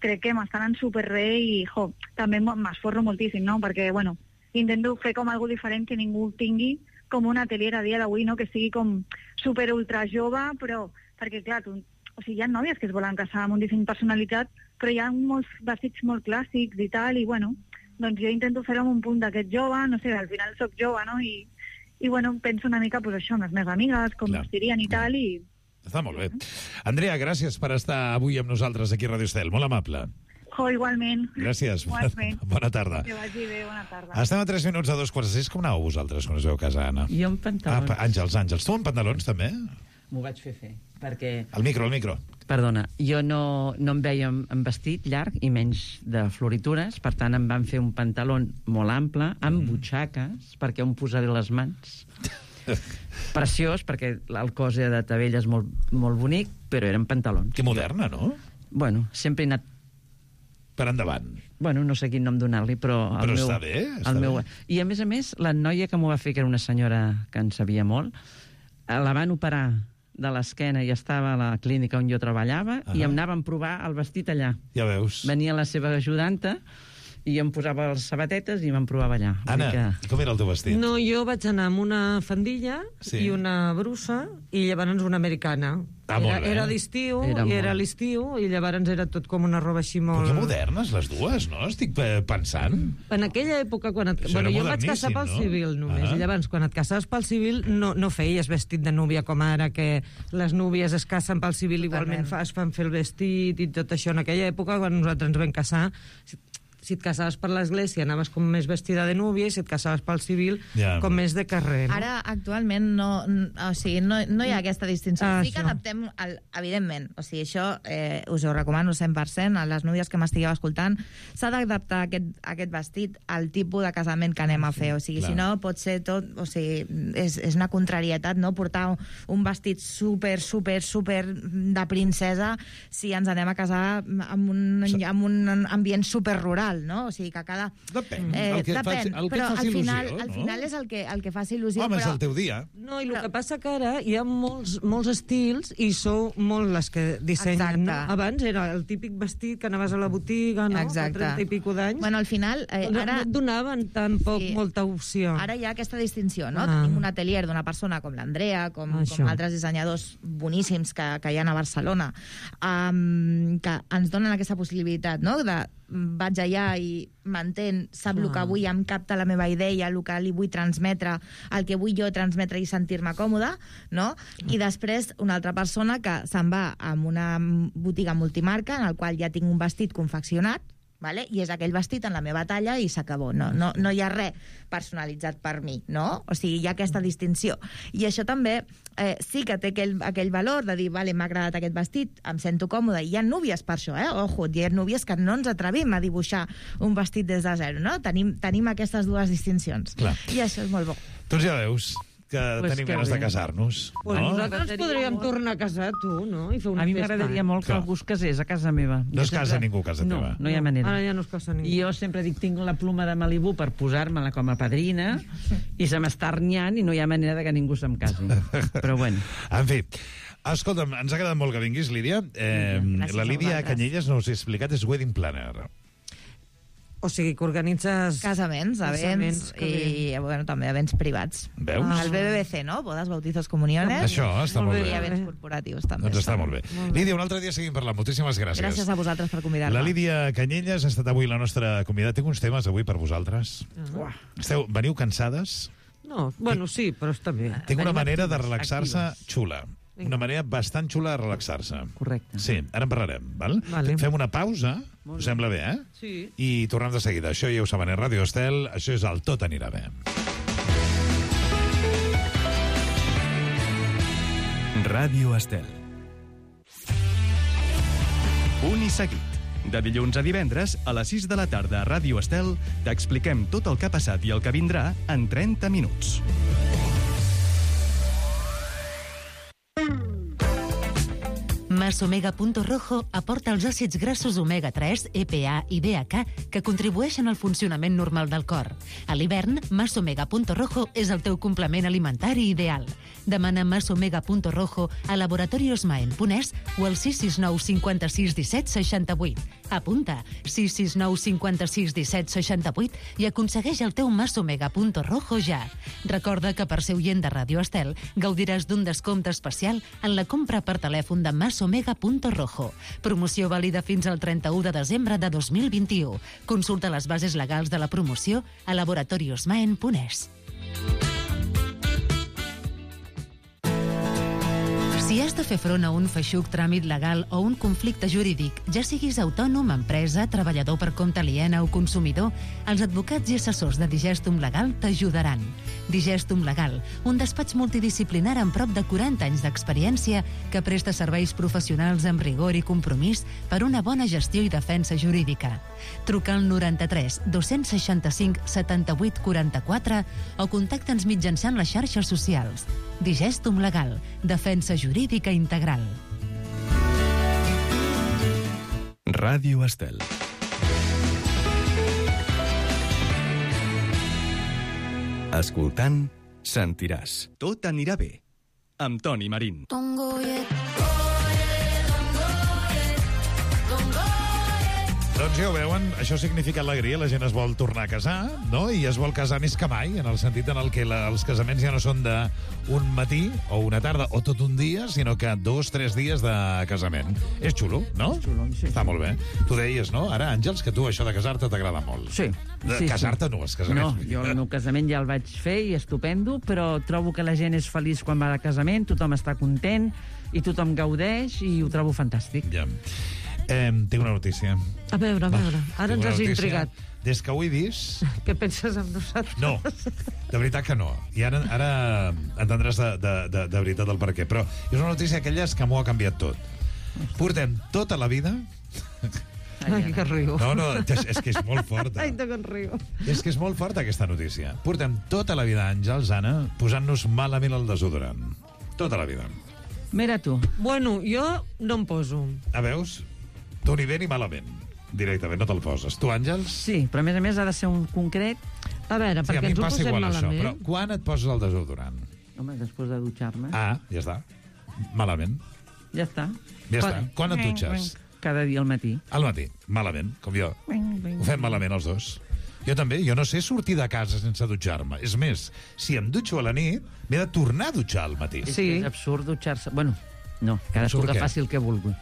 crec que m'estan en superbé i, jo, també m'esforro moltíssim, no? Perquè, bueno, intento fer com algo diferent que ningú tingui com un atelier a dia d'avui, no? Que sigui com super ultra jove, però, perquè, clar, tu, o sigui, hi ha nòvies que es volen casar amb un disseny personalitzat, però hi ha molts vestits molt clàssics i tal, i, bueno, doncs jo intento fer-ho amb un punt d'aquest jove, no sé, al final soc jove, no? I, i bueno, penso una mica, pues, això, amb les meves amigues, com es dirien i tal, i... Està molt bé. Andrea, gràcies per estar avui amb nosaltres aquí a Radio Estel, molt amable. Jo, igualment. Gràcies, igualment. Bona tarda. Que vagi bé, bona tarda. Estem a tres minuts a dos quarts de sis. Com aneu vosaltres quan us veu casar, Anna? Jo en pantalons. Ah, Àngels, Àngels. Tu en pantalons, també? M'ho vaig fer fer, perquè... El micro, el micro. Perdona, jo no, no em veia en vestit llarg i menys de floritures, per tant em van fer un pantaló molt ample, amb mm. butxaques, perquè on posaré les mans. Preciós, perquè el cos de Tabella és molt, molt bonic, però eren pantalons. Que moderna, no? Bueno, sempre he anat... Per endavant. Bueno, no sé quin nom donar-li, però... El però meu, està bé, està el meu... bé. I a més a més, la noia que m'ho va fer, que era una senyora que en sabia molt, la van operar de l'esquena i estava a la clínica on jo treballava uh -huh. i em anaven a provar el vestit allà. Ja veus. Venia la seva ajudanta i em posava les sabatetes i me'n provava allà. Anna, que... com era el teu vestit? No, jo vaig anar amb una faldilla sí. i una brusa i llavors una americana. Ah, era, molt bé. era l'estiu, Era i molt. era l'estiu, i llavors era tot com una roba així molt... Però que modernes, les dues, no? Estic eh, pensant. En aquella època, quan et... Això bueno, era jo em vaig casar moderníssim, pel no? civil només, Ah. i llavors quan et casaves pel civil no, no feies vestit de núvia com ara, que les núvies es casen pel civil, igualment fa, es fan fer el vestit i tot això. En aquella època, quan nosaltres ens vam casar, si et casaves per l'església anaves com més vestida de núvia i si et casaves pel civil Ja. com més de carrer. No? Ara, actualment, no, n- o sigui, no, no hi ha aquesta distinció. Ah, sí que això. adaptem, el, evidentment, o sigui, això eh, us ho recomano cent per cent a les núvies que m'estigueu escoltant, s'ha d'adaptar aquest, aquest vestit al tipus de casament que anem a fer, o sigui, Clar. si no pot ser tot, o sigui, és, és una contrarietat, no?, portar un, un vestit super, super, super de princesa si ens anem a casar amb un, amb un ambient super rural, no? O sigui, que cada... Depèn. Eh, El que et depèn, faci- el que et però faci al final, il·lusió, al no? final és el que, el que faci il·lusió. Home, és però... el teu dia. No, i el que passa que ara hi ha molts, molts estils i sou molt les que dissenyen. No? Exacte. Abans era el típic vestit que anaves a la botiga, no? Exacte. Fa trenta i pico d'anys. Bueno, al final, eh, no, ara... no et donaven tampoc Sí. molta opció. Ara hi ha aquesta distinció, no? Ah. Tenim un atelier d'una persona com l'Andrea, com, Això. com altres dissenyadors boníssims que, que hi ha a Barcelona, um, que ens donen aquesta possibilitat, no?, de vaig allà i m'entén, sap el que vull, em capta la meva idea, el que li vull transmetre, el que vull jo transmetre i sentir-me còmoda, no? I després una altra persona que se'n va a una botiga multimarca en el qual ja tinc un vestit confeccionat, vale? I és aquell vestit en la meva talla i s'acabó. No, no, no hi ha res personalitzat per mi, no? O sigui, hi ha aquesta distinció. I això també eh, sí que té aquell, aquell valor de dir, vale, m'ha agradat aquest vestit, em sento còmoda. I hi ha núvies per això, eh? Ojo, hi ha núvies que no ens atrevim a dibuixar un vestit des de zero, no? Tenim, tenim aquestes dues distincions. Clar. I això és molt bo. Doncs ja veus que Pues tenim que ganes bé. de casar-nos. Pues no? nosaltres podríem molt. tornar a casar, tu, no? I fer una A mi festa. m'agradaria molt que Clar. algú es casés a casa meva. No es Jo casa sempre- ningú a casa no, teva. No hi ha manera. Ara ja no es casa ningú. I jo sempre dic, tinc la pluma de Malibú per posar-me-la com a padrina i se m'està arnyant i no hi ha manera de que ningú se'm casi. Però bueno. En fi, escolta'm, ens ha agradat molt que vinguis, Lídia. Eh, Gràcies la a Lídia vosaltres. Canyelles, no us he explicat, és wedding planner. O sigui, que organitzes... Casaments, events i, bueno, també events privats. Veus? El B B B C, no? Bodes, bautizos, comuniones. Això està molt bé. I events corporatius, també. Doncs està molt bé. Lídia, un altre dia seguim parlant. Moltíssimes gràcies. Gràcies a vosaltres per convidar-me. La Lídia Canyelles ha estat avui la nostra convidada. Tinc uns temes avui per vosaltres. Ah. Esteu, veniu cansades? No, bueno, sí, però està bé. Tinc una Venim manera de actives, relaxar-se actives. xula. Una manera bastant xula de relaxar-se. Correcte. Sí, ara en parlarem, val? Vale. Fem una pausa, us sembla bé, eh? Sí. I tornem de seguida. Això ja ho saben, és Ràdio Estel, això és el Tot anirà bé. Ràdio Estel. Un i seguit. De dilluns a divendres, a les sis de la tarda a Ràdio Estel, t'expliquem tot el que ha passat i el que vindrà en trenta minuts. Masomega Punto Rojo aporta els àcids grassos omega tres, E P A i D H A que contribueixen al funcionament normal del cor. A l'hivern, Masomega Punto Rojo és el teu complement alimentari ideal. Demana Masomega Punto Rojo a Laboratorios Maen Punès o al sis sis nou cinquanta-sis disset seixanta-vuit. Apunta sis sis nou cinquanta-sis disset seixanta-vuit i aconsegueix el teu Masomega Punto Rojo ja. Recorda que per ser oient de Ràdio Estel gaudiràs d'un descompte especial en la compra per telèfon de Masomega Punto Rojo. Promoció vàlida fins al trenta-u de desembre de dos mil vint-i-u. Consulta les bases legals de la promoció a Laboratorios Maen Punès. Si has de fer front a un feixuc tràmit legal o un conflicte jurídic, ja siguis autònom, empresa, treballador per compte aliena o consumidor, els advocats i assessors de Digestum Legal t'ajudaran. Digestum Legal, un despatx multidisciplinar amb prop de quaranta anys d'experiència que presta serveis professionals amb rigor i compromís per una bona gestió i defensa jurídica. Truca al noranta-tres dos-cents seixanta-cinc setanta-vuit quaranta-quatre o contacta'ns mitjançant les xarxes socials. Digestum Legal, defensa jurídica integral. Ràdio Estel. Escoltant, sentiràs. Tot anirà bé. Amb Toni Marín. Doncs ja ho veuen, això significa alegria, la gent es vol tornar a casar, no? I es vol casar més que mai, en el sentit en el que la, els casaments ja no són d'un matí o una tarda o tot un dia, sinó que dos, tres dies de casament. És xulo, no? És xulo, sí. Està molt bé. Tu deies, no? Ara, Àngels, que tu això de casar-te t'agrada molt. Sí. De sí, casar-te sí. no, els casaments. No, jo el meu casament ja el vaig fer i estupendo, però trobo que la gent és feliç quan va de casament, tothom està content i tothom gaudeix i ho trobo fantàstic. Ja. Eh, tinc una notícia. A veure, a veure, ara Tinc ens una has notícia. intrigat. Des que ho he vist... Què penses amb nosaltres? No, de veritat que no. I ara, ara entendràs de, de, de, de veritat el per què. Però és una notícia aquelles que m'ho ha canviat tot. Portem tota la vida... Ai, que riu. No, no, és, és que és molt forta. Ai, que riu. És que és molt forta aquesta notícia. Portem tota la vida, Àngels, Anna, posant-nos malament el desodorant. Tota la vida. Mira tu. Bueno, jo no em poso. A veus? Tu ni bé ni malament. Directament, no te'l poses. Tu, Àngels? Sí, però a més a més ha de ser un concret. A veure, Sí, a perquè mi em ens ho passa posem igual això, malament. però quan et poses el desodorant? Home, després de dutxar-me. Ah, ja està. Malament. Ja està. Ja està. Quan et dutxes? Cada dia al matí. Al matí. Malament, com jo. Ho fem malament els dos. Jo també, jo no sé sortir de casa sense dutxar-me. És més, si em dutxo a la nit, m'he de tornar a dutxar al matí. És, que és absurd dutxar-se. Bueno, no, cadascú Absurd que què? faci el que vulgui.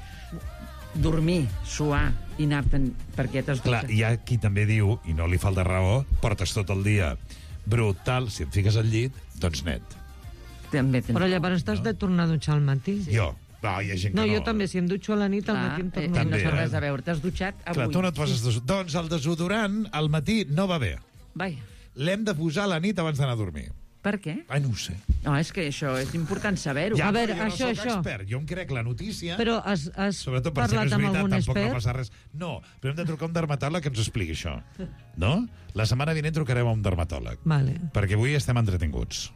dormir, suar i anar-te'n perquè t'has Clar, hi ha qui també diu, i no li falta raó, portes tot el dia brutal, si et fiques al llit, doncs net. També Però llavors t'has de tornar a dutxar al matí. Jo. No, hi ha gent que No, no. jo també, si em dutxo a la nit, al matí em torno a No té dutxar. res a veure, t'has dutxat avui. Clar, tu no et poses desodorant. Doncs el desodorant al matí no va bé. Vaja. L'hem de posar a la nit abans d'anar a dormir. Per què? Ai, no ho sé. No, és que això és important saber-ho. Ja, A veure, però jo això, no soc això. expert. Jo em crec la notícia... Però has, has Sobretot per si no parlat és amb veritat, algun tampoc no expert? passa res. No, però hem de trucar a un dermatòleg que ens expliqui això. No? La setmana vinent trucarem a un dermatòleg. Vale. Perquè avui estem entretinguts.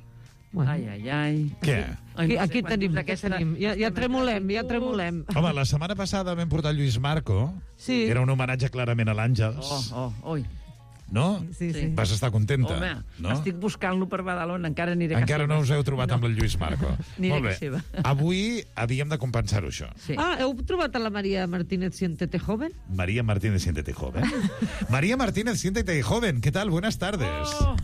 Bueno. Ai, ai, ai. Què? Aquí, aquí tenim, aquí tenim. Ja, ja tremolem, ja tremolem. Home, la setmana passada vam portar Lluís Marco. Sí. Era un homenatge clarament a l'Àngels. Oh, oh, oi. No? Sí, sí. Vas estar contenta? Home, no? estic buscant-lo per Badalona, encara aniré a casa Encara no seva. us heu trobat No. amb el Lluís Marco. Aniré Molt a bé. casa seva. Avui havíem de compensar-ho, això. Sí. Ah, heu trobat a la María Martínez Siéntete Joven? María Martínez, siéntete joven. María Martínez, siéntete joven. ¿Qué tal? Buenas tardes. Oh.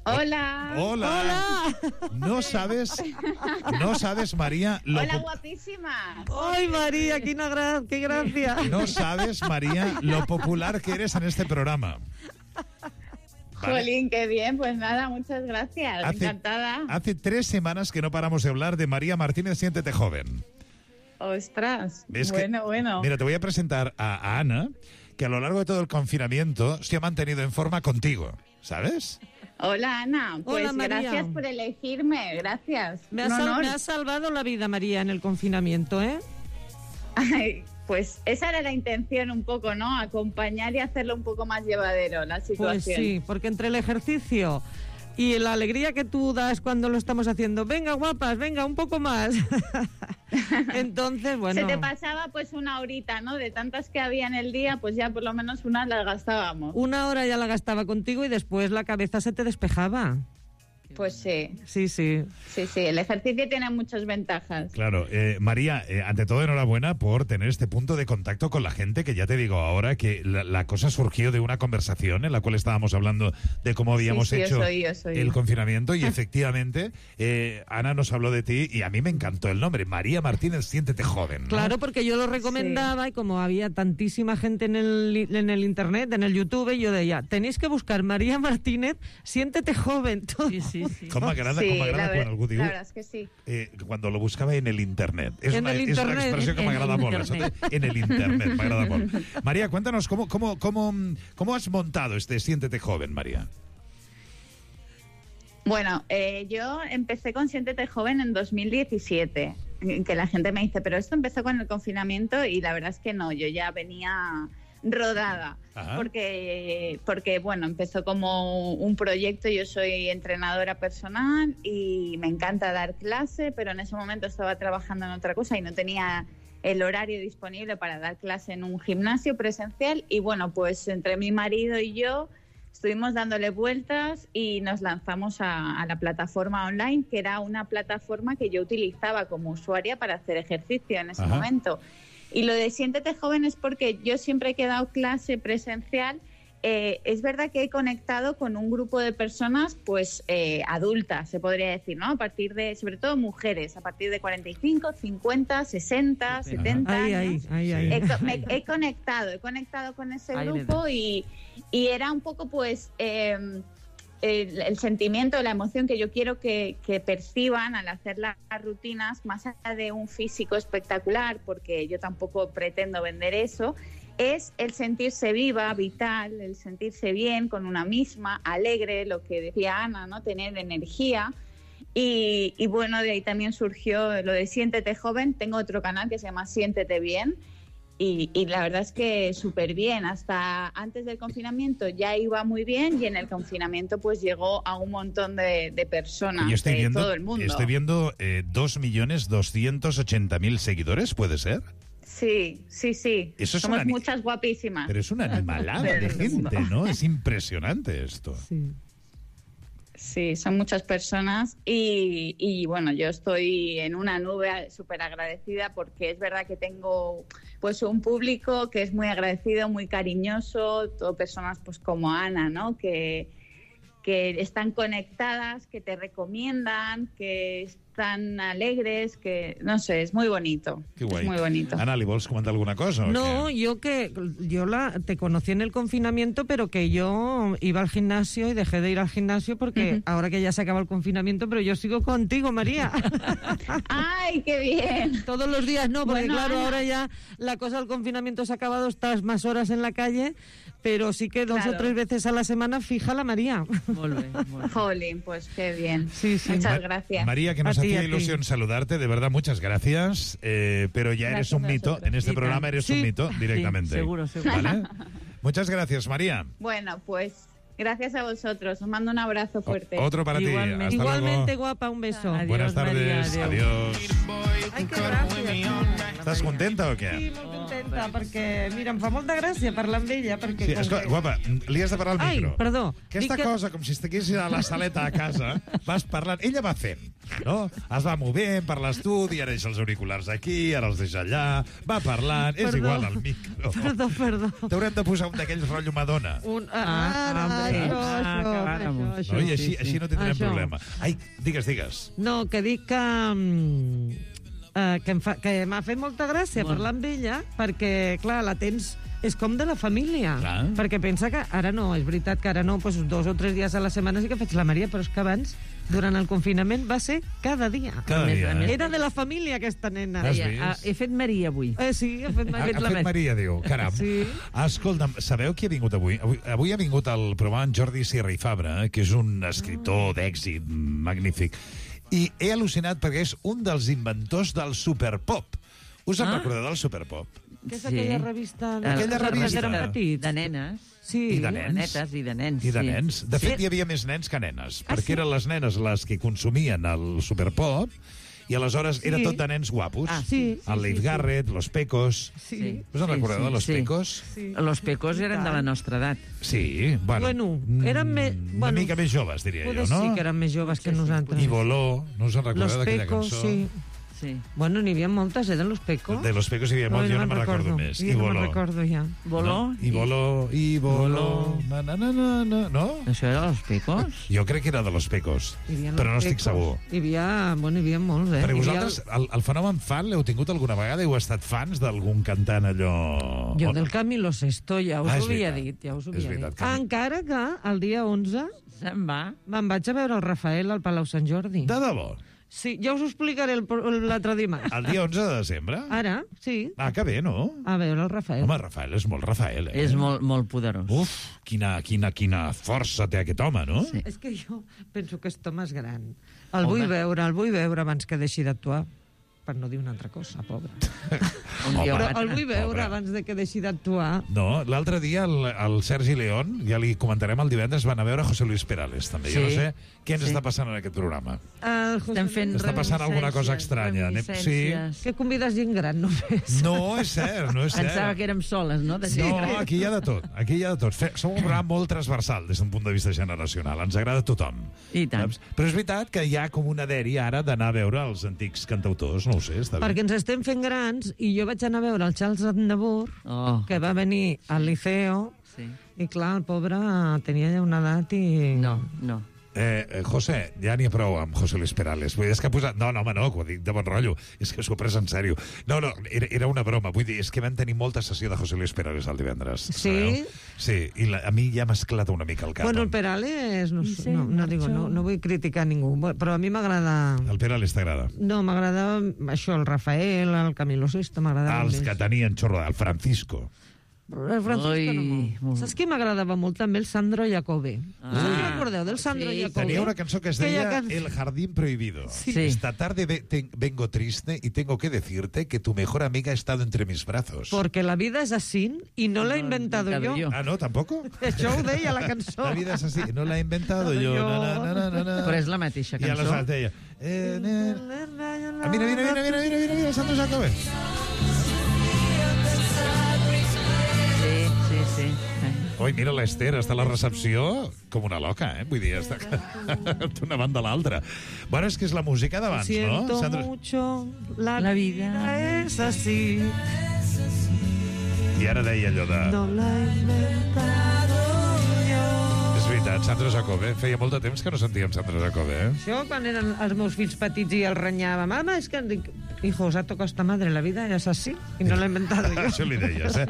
Hola. Hola. No sabes, no sabes, María, lo Hola, po- guapísima. ¡Ay, María, qué, una gra- qué gracia! no sabes, María, lo popular que eres en este programa. Vale. Jolín, qué bien. Pues nada, muchas gracias. Hace- Encantada. Hace tres semanas que no paramos de hablar de María Martínez, siéntete joven. Ostras. Es que- bueno, bueno. Mira, te voy a presentar a, a Ana, que a lo largo de todo el confinamiento se ha mantenido en forma contigo, ¿sabes? Hola, Ana. Pues Hola, María. gracias por elegirme. Gracias. Me has, Un sal- honor. me has salvado la vida, María, en el confinamiento, ¿eh? Ay, pues esa era la intención un poco, ¿no? Acompañar y hacerlo un poco más llevadero la situación. Pues sí, porque entre el ejercicio y la alegría que tú das cuando lo estamos haciendo, venga, guapas, venga, un poco más. Entonces, bueno... Se te pasaba pues una horita, ¿no? De tantas que había en el día, pues ya por lo menos una las gastábamos. Una hora ya la gastaba contigo y después la cabeza se te despejaba. Pues sí. Sí, sí. Sí, sí, el ejercicio tiene muchas ventajas. Claro, eh, María, eh, ante todo enhorabuena por tener este punto de contacto con la gente, que ya te digo ahora que la, la cosa surgió de una conversación en la cual estábamos hablando de cómo habíamos Sí, sí, yo hecho soy, yo soy. el confinamiento y efectivamente eh, Ana nos habló de ti y a mí me encantó el nombre, María Martínez, siéntete joven, ¿no? Claro, porque yo lo recomendaba y como había tantísima gente en el, en el internet, en el YouTube, yo decía, tenéis que buscar María Martínez, siéntete joven. Todo. Sí, sí, sí. Com m'agrada, Sí, com la m'agrada ver- quan algú diu la verdad es que sí. eh, cuando lo buscaba en el internet. Es, En una, el es una internet, expresión que en m'agrada el molt. Eso internet. de- En el internet, m'agrada molt. María, cuéntanos, ¿cómo, cómo, cómo, ¿cómo has montado este Siéntete Joven, María? Bueno, eh, yo empecé con Siéntete Joven en dos mil diecisiete, que la gente me dice, pero esto empezó con el confinamiento y la verdad es que no, yo ya venía rodada, Ajá. porque, porque bueno, empezó como un proyecto, yo soy entrenadora personal y me encanta dar clase, pero en ese momento estaba trabajando en otra cosa y no tenía el horario disponible para dar clase en un gimnasio presencial y bueno, pues entre mi marido y yo estuvimos dándole vueltas y nos lanzamos a, a la plataforma online, que era una plataforma que yo utilizaba como usuaria para hacer ejercicio en ese Ajá. momento. Y lo de Siéntete Joven es porque yo siempre que he dado clase presencial, eh, es verdad que he conectado con un grupo de personas pues eh, adultas, se podría decir, ¿no? A partir de, sobre todo mujeres, a partir de cuarenta y cinco, cincuenta, sesenta, setenta Ahí, años. ahí, ahí, ahí. He, co- me- he conectado, he conectado con ese Ahí le grupo y, y era un poco pues eh, el, el sentimiento, la emoción que yo quiero que, que perciban al hacer las rutinas, más allá de un físico espectacular, porque yo tampoco pretendo vender eso, es el sentirse viva, vital, el sentirse bien con una misma, alegre, lo que decía Ana, ¿no? Tener energía. Y, y bueno, de ahí también surgió lo de Siéntete Joven. Tengo otro canal que se llama Siéntete Bien. Y, y la verdad es que súper bien. Hasta antes del confinamiento ya iba muy bien y en el confinamiento pues llegó a un montón de, de personas Yo estoy de viendo, todo el mundo. estoy viendo eh, dos millones doscientos ochenta mil seguidores, ¿puede ser? Sí, sí, sí. Eso es Somos una ni- muchas guapísimas. Pero es una animalada de gente, ¿no? Es impresionante esto. Sí, son muchas personas y, y, bueno, yo estoy en una nube súper agradecida porque es verdad que tengo pues un público que es muy agradecido, muy cariñoso, todo personas pues como Ana, ¿no? Que, que están conectadas, que te recomiendan, que tan alegres que, no sé, es muy bonito. Qué guay. Es muy bonito. Ana, ¿le vols comentar alguna cosa? No, yo que yo la te conocí en el confinamiento, pero que yo iba al gimnasio y dejé de ir al gimnasio porque uh-huh. ahora que ya se acaba el confinamiento, pero yo sigo contigo, María. ¡Ay, qué bien! Todos los días no, porque bueno, claro, Ana, ahora ya la cosa del confinamiento se ha acabado, estás más horas en la calle, pero sí que dos claro. o tres veces a la semana fija la María. Molt bé, molt bé. Jolín, pues qué bien. Sí, sí. Muchas Ma- gracias. María, que nos A ti, hacía a ti. ilusión saludarte, de verdad, muchas gracias, eh, pero ya eres Gracias un a mito, vosotros. en este Y programa tan. eres Sí. un mito directamente. Sí, seguro, seguro. ¿Vale? Muchas gracias, María. Bueno, pues gracias a vosotros. Os mando un abrazo fuerte. Otro para Igualmente. ti. Hasta Igualmente, luego. guapa, un beso. Adiós, Buenas tardes. María, Adiós. Ai, que gràcies. Estàs contenta o què? Sí, molt contenta, perquè, mira, em fa molta gràcia parlar amb ella, perquè... Sí, com escolta, que- guapa, li has de parlar al Ai, micro. perdó. Aquesta Dic que- cosa, com si estiguessis a la saleta a casa, vas parlant... Ella va fent, no? Es va movent per l'estudi, ara deixa els auriculars aquí, ara els deixa allà, va parlant, és Perdó. igual al micro. Perdó, perdó. T'haurem de posar un d'aquells rotllo Madonna. Un... Ah, Ah, ah, sí. això, Ah, això, acabàrem. això, No? I això. així, sí, sí. així no tindrem Això. problema. Ai, digues, digues. No, que dic que... mm, eh, que em fa- que m'ha fet molta gràcia Molt. parlar amb ella, perquè, clar, la tens... És com de la família, Clar. perquè pensa que ara no, és veritat que ara no, doncs dos o tres dies a la setmana sí que faig la Maria, però és que abans, durant el confinament, va ser cada dia. Cada A més, dia. a més, eh? Era de la família, aquesta nena. Has Deia, vist? ah, he fet Maria avui. Eh, sí, ha fet Ha, Maria. ha fet Maria, diu. Caram. Sí. Escolta'm, sabeu qui ha vingut avui? Avui, avui ha vingut al programa en Jordi Sierra i Fabra, que és un escriptor d'èxit magnífic. I he al·lucinat perquè és un dels inventors del superpop. Us en Ah. recordeu del superpop? Que és Sí. aquella revista... Aquella que revista. eren petits. De nenes. Sí. I de nens. Netes i de nens. I de sí. nens. De fet, Sí. hi havia més nens que nenes, Ah, perquè sí? eren les nenes les que consumien el superpop i aleshores Sí. era tot de nens guapos. Ah, sí, sí, el Leif sí, sí. Garrett, los Pecos... Sí. Us en Sí, recordeu sí, de los sí. Pecos? Sí. Los pecos eren de la nostra edat. Sí, bueno. Bueno, eren mm, més- Una bueno, mica més joves, diria Poder jo, no? sí que eren més joves que Sí, sí, nosaltres. I Voló, no us en recordeu Los d'aquella Pecos, cançó? sí. Sí. Bueno, n'hi havia moltes, eh, de Los Pecos. De los Pecos hi havia molts, jo no me'n recordo més. Jo I no Voló. me'n recordo ja. Voló. No? I Voló, i Voló... Na, na, na, na, na, no? Això era Los Pecos? Jo crec que era de los Pecos, Hi havia però no Los estic Pecos. segur. Hi havia, bueno, hi havia molts, eh? Perquè Hi havia vosaltres, el, el fenomen fan l'heu tingut alguna vegada? Heu estat fans d'algun cantant allò... El... Jo del Camilo Sesto ja us Ah, ho és havia veritat. dit, ja us ho És havia veritat, dit. Camilo. Encara que el dia onze Se'n va. me'n vaig a veure el Rafael al Palau Sant Jordi. De debò? Sí, ja us ho explicaré el- l'altre dimarts. El dia onze de desembre? Ara, sí, Ah, que bé, no? a veure el Rafael. Home, Rafael és molt Rafael, eh? És molt, molt poderós. Uf, quina, quina, quina força té aquest home, no? Sí. És que jo penso que aquest home és gran. El Home. vull veure, el vull veure abans que deixi d'actuar. Per no dir una altra cosa, pobre. Un dia Però ho el vull veure Pobre. abans de que deixi d'actuar. No, l'altre dia el, el Sergi León, ja li comentarem el divendres, van a veure José Luis Perales, també. Sí. Jo no sé què ens Sí. està passant en aquest programa. El José Estem fent Està passant alguna cosa reminiscències, estranya. Anem- reminiscències. Que convides gent gran, només. No, és cert, no és Pensava cert. que érem soles, no? De gent No, gran. aquí hi ha de tot. Aquí hi ha de tot. Fe, som un programa molt transversal des d'un punt de vista generacional. Ens agrada a tothom. I tant. Saps? Però és veritat que hi ha com una dèria ara d'anar a veure els antics cantautors. No ho sé, està bé. Perquè ens estem fent grans i jo vaig anar a veure el Charles Aznavour, Oh, que va venir al Liceo, sí. i clar, el pobre tenia ja una edat i... No, no. Eh, eh, José, ja n'hi ha prou amb José Luis Perales. Vull dir, és que ha posat... No, no, home, no, que ho dic de bon rotllo. És que s'ho ha pres en sèrio. No, no, era, era una broma. Vull dir, és que van tenir molta sessió de José Luis Perales el divendres. Sí? Sabeu? Sí, i la, a mi ja m'ha esclatat una mica el cap. Bueno, el Perales, no, I sé, se no, no, digo, marchó. no, no vull criticar ningú, però a mi m'agrada... El Perales t'agrada? No, m'agradava això, el Rafael, el Camilo Sesto, m'agradava Els més. que tenien xorro, el Francisco. El Francisco Ui, no molt. molt. Saps qui m'agradava molt? També el Sandro Jacobe. Ah. Us en recordeu del Sandro Sí, Jacobe? Tenia una cançó que es Aquella deia can- El jardín prohibido. Sí. Esta tarde ve- te- vengo triste y tengo que decirte que tu mejor amiga ha estado entre mis brazos. Porque la vida es así y no la he No, inventado inventado yo. yo. Ah, no, tampoco? Això ho deia la cançó. La vida es así, no la he inventado yo. Yo. Na, na, na, na, na. Però és la mateixa I cançó. aleshores deia... Eh, eh, ah, mira, mira, mira, mira, mira, mira, mira, Sandro Jacobe. Sí, sí, sí. Oi, mira, l'Ester està a la recepció com una loca, eh? Vull dir, està d'una banda a l'altra. Bueno, és que és la música d'abans, no? Siento Sandra? mucho, la, La vida vida es así. I ara deia allò de... No la he inventado yo. És veritat, veritat. Sandra Jacobe. Feia molt de temps que no sentíem Sandra Jacobe, eh? Això, quan eren els meus fills petits i el renyava, mama, és que... Dic, hijo, os ha tocado esta madre, la vida es así, i no l'he inventat jo. Això li deies, eh?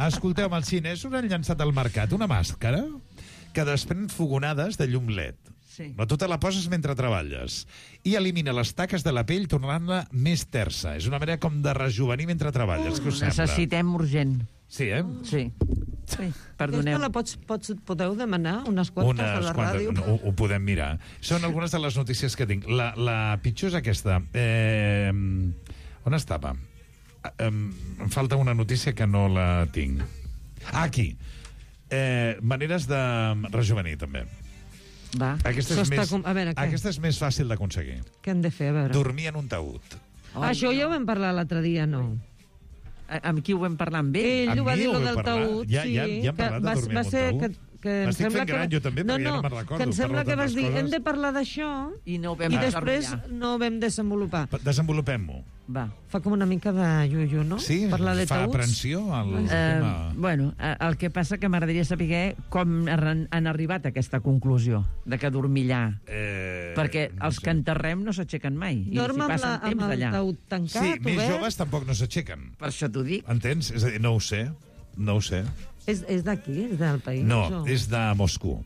Escolteu, amb els xinesos han llançat al mercat una màscara que desprèn fogonades de llum L E D. Sí. No, tu te la poses mentre treballes i elimina les taques de la pell tornant-la més tersa. És una manera com de rejuvenir mentre treballes. Què us sembla? Necessitem urgent. Sí, eh? Sí. Sí, perdoneu. Aquesta la pots, pots, podeu demanar unes quantes Unes a la quantes, ràdio? no, ho, ho podem mirar. Són algunes de les notícies que tinc. La, la pitjor és aquesta. Eh, on estava? Eh, em falta una notícia que no la tinc. Ah, aquí. Eh, maneres de rejuvenir, també. Va. Aquesta és, Això està més, com- a veure, què? aquesta és més fàcil d'aconseguir. Què hem de fer, a veure? Dormir en un taüt. Oh, Això ja ho vam parlar l'altre dia, no? Amb qui ho vam parlar? Amb ell? Ell Amb ho va mi dir, ho lo vam del parlar. taüt, Ja- sí. ja- ja hem que parlat de va, dormir va en un ser taüt. que, que em M'estic sembla fent gran que... jo també, perquè ja no me'n recordo, que em parlo sembla de que vas tantes dir, coses. hem de parlar d'això, I no ho vam i després desarrollar. no ho vam desenvolupar. Desenvolupem-ho. Va. Fa com una mica de yuyu, no? Sí, Parlar de fa taüts. aprensió al Eh, tema. bueno, eh, el que passa que m'agradaria saber com han, han arribat a aquesta conclusió de que dormillar. Eh, Perquè no els sé. que enterrem no s'aixequen mai. I Dorm s'hi amb, passen la, amb temps el allà. taüt tancat, Sí, més obert. joves tampoc no s'aixequen. Per això t'ho dic. Entens? És a dir, no ho sé. No ho sé. És, és d'aquí, és del país? No, o? és de Moscou.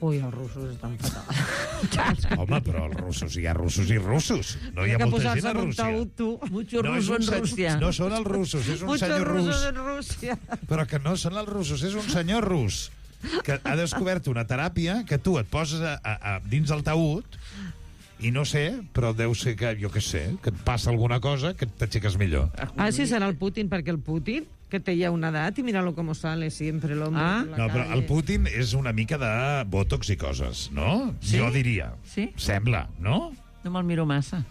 Ui, els russos estan fatal. Home, però els russos, hi ha russos i russos. No hi ha que molta posar-se gent a en un Rússia. taüt, tu. Mucho No, és ruso un en se- Rússia. no són els russos, és un Muchos senyor rus. russos en Rússia. Però que no són els russos, és un senyor rus que ha descobert una teràpia que tu et poses a, a, a, dins el taüt i no sé, però deu ser que, jo què sé, que et passa alguna cosa que t'aixeques millor. Ah, sí, serà el Putin, perquè el Putin, que té ja una edat, i míralo com sale sempre l'home. Ah. No, però el Putin és una mica de botox i coses, no? Sí? Jo diria. Sí? Sembla, no? No me'l miro massa.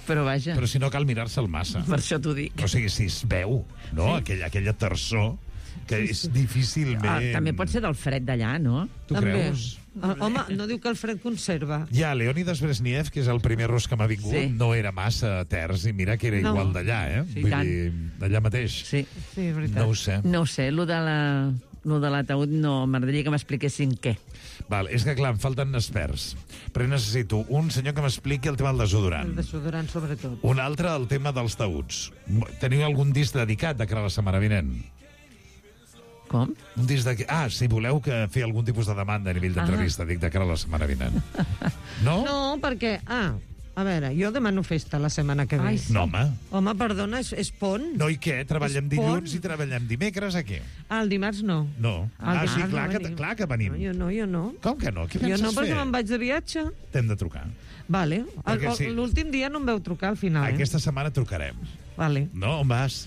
Però vaja, Però si no cal mirar-se'l massa. per això t'ho dic. O sigui, si es veu, no? Sí. Aquella, aquella terçor que és difícilment... Ah, també pot ser del fred d'allà, no? Tu També. creus? Ah, home, no diu que el fred conserva. Ja, Leonidas Brezhnev, que és el primer rus que m'ha vingut, Sí. no era massa terç, i mira que era No. igual d'allà, eh? Sí, Vull tant. dir, d'allà mateix. Sí. Sí, és veritat. No ho sé. No ho sé, lo de la... Lo de l'ataúd no, m'agradaria que m'expliquessin què. Val, és que, clar, em falten experts. Però necessito un senyor que m'expliqui el tema del desodorant. El desodorant, sobretot. Un altre, el tema dels taüts. Teniu algun disc dedicat de cara a la setmana vinent? Com? Un disc de... Ah, si voleu que fer algun tipus de demanda a nivell d'entrevista, dic, de cara a la setmana vinent. No? No, perquè... Ah, a veure, jo demano festa la setmana que ve. Ai, sí. No, home. Home, perdona, és, és pont? No, i què? Treballem És dilluns pont. i treballem dimecres, aquí? Ah, el dimarts no. No. El Ah, sí, dimarts clar no que, venim. clar que venim. No, jo no, jo no. Com que no? Què Jo penses no, perquè fer? me'n vaig de viatge. T'hem de trucar. Vale. Perquè sí. L'últim dia no em veu trucar al final, eh? Aquesta setmana trucarem. Vale. No, on vas?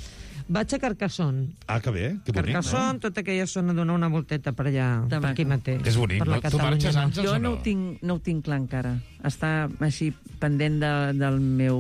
Vaig a Carcassonne. Ah, que bé, que bonic, Carcassonne, tota aquella zona, donar una volteta per allà, per maco. aquí mateix. És bonic, per la no? Tu Catalunya marxes, nord. Àngels, Jo o no no? ho tinc, no ho tinc clar encara. Està així pendent de, del meu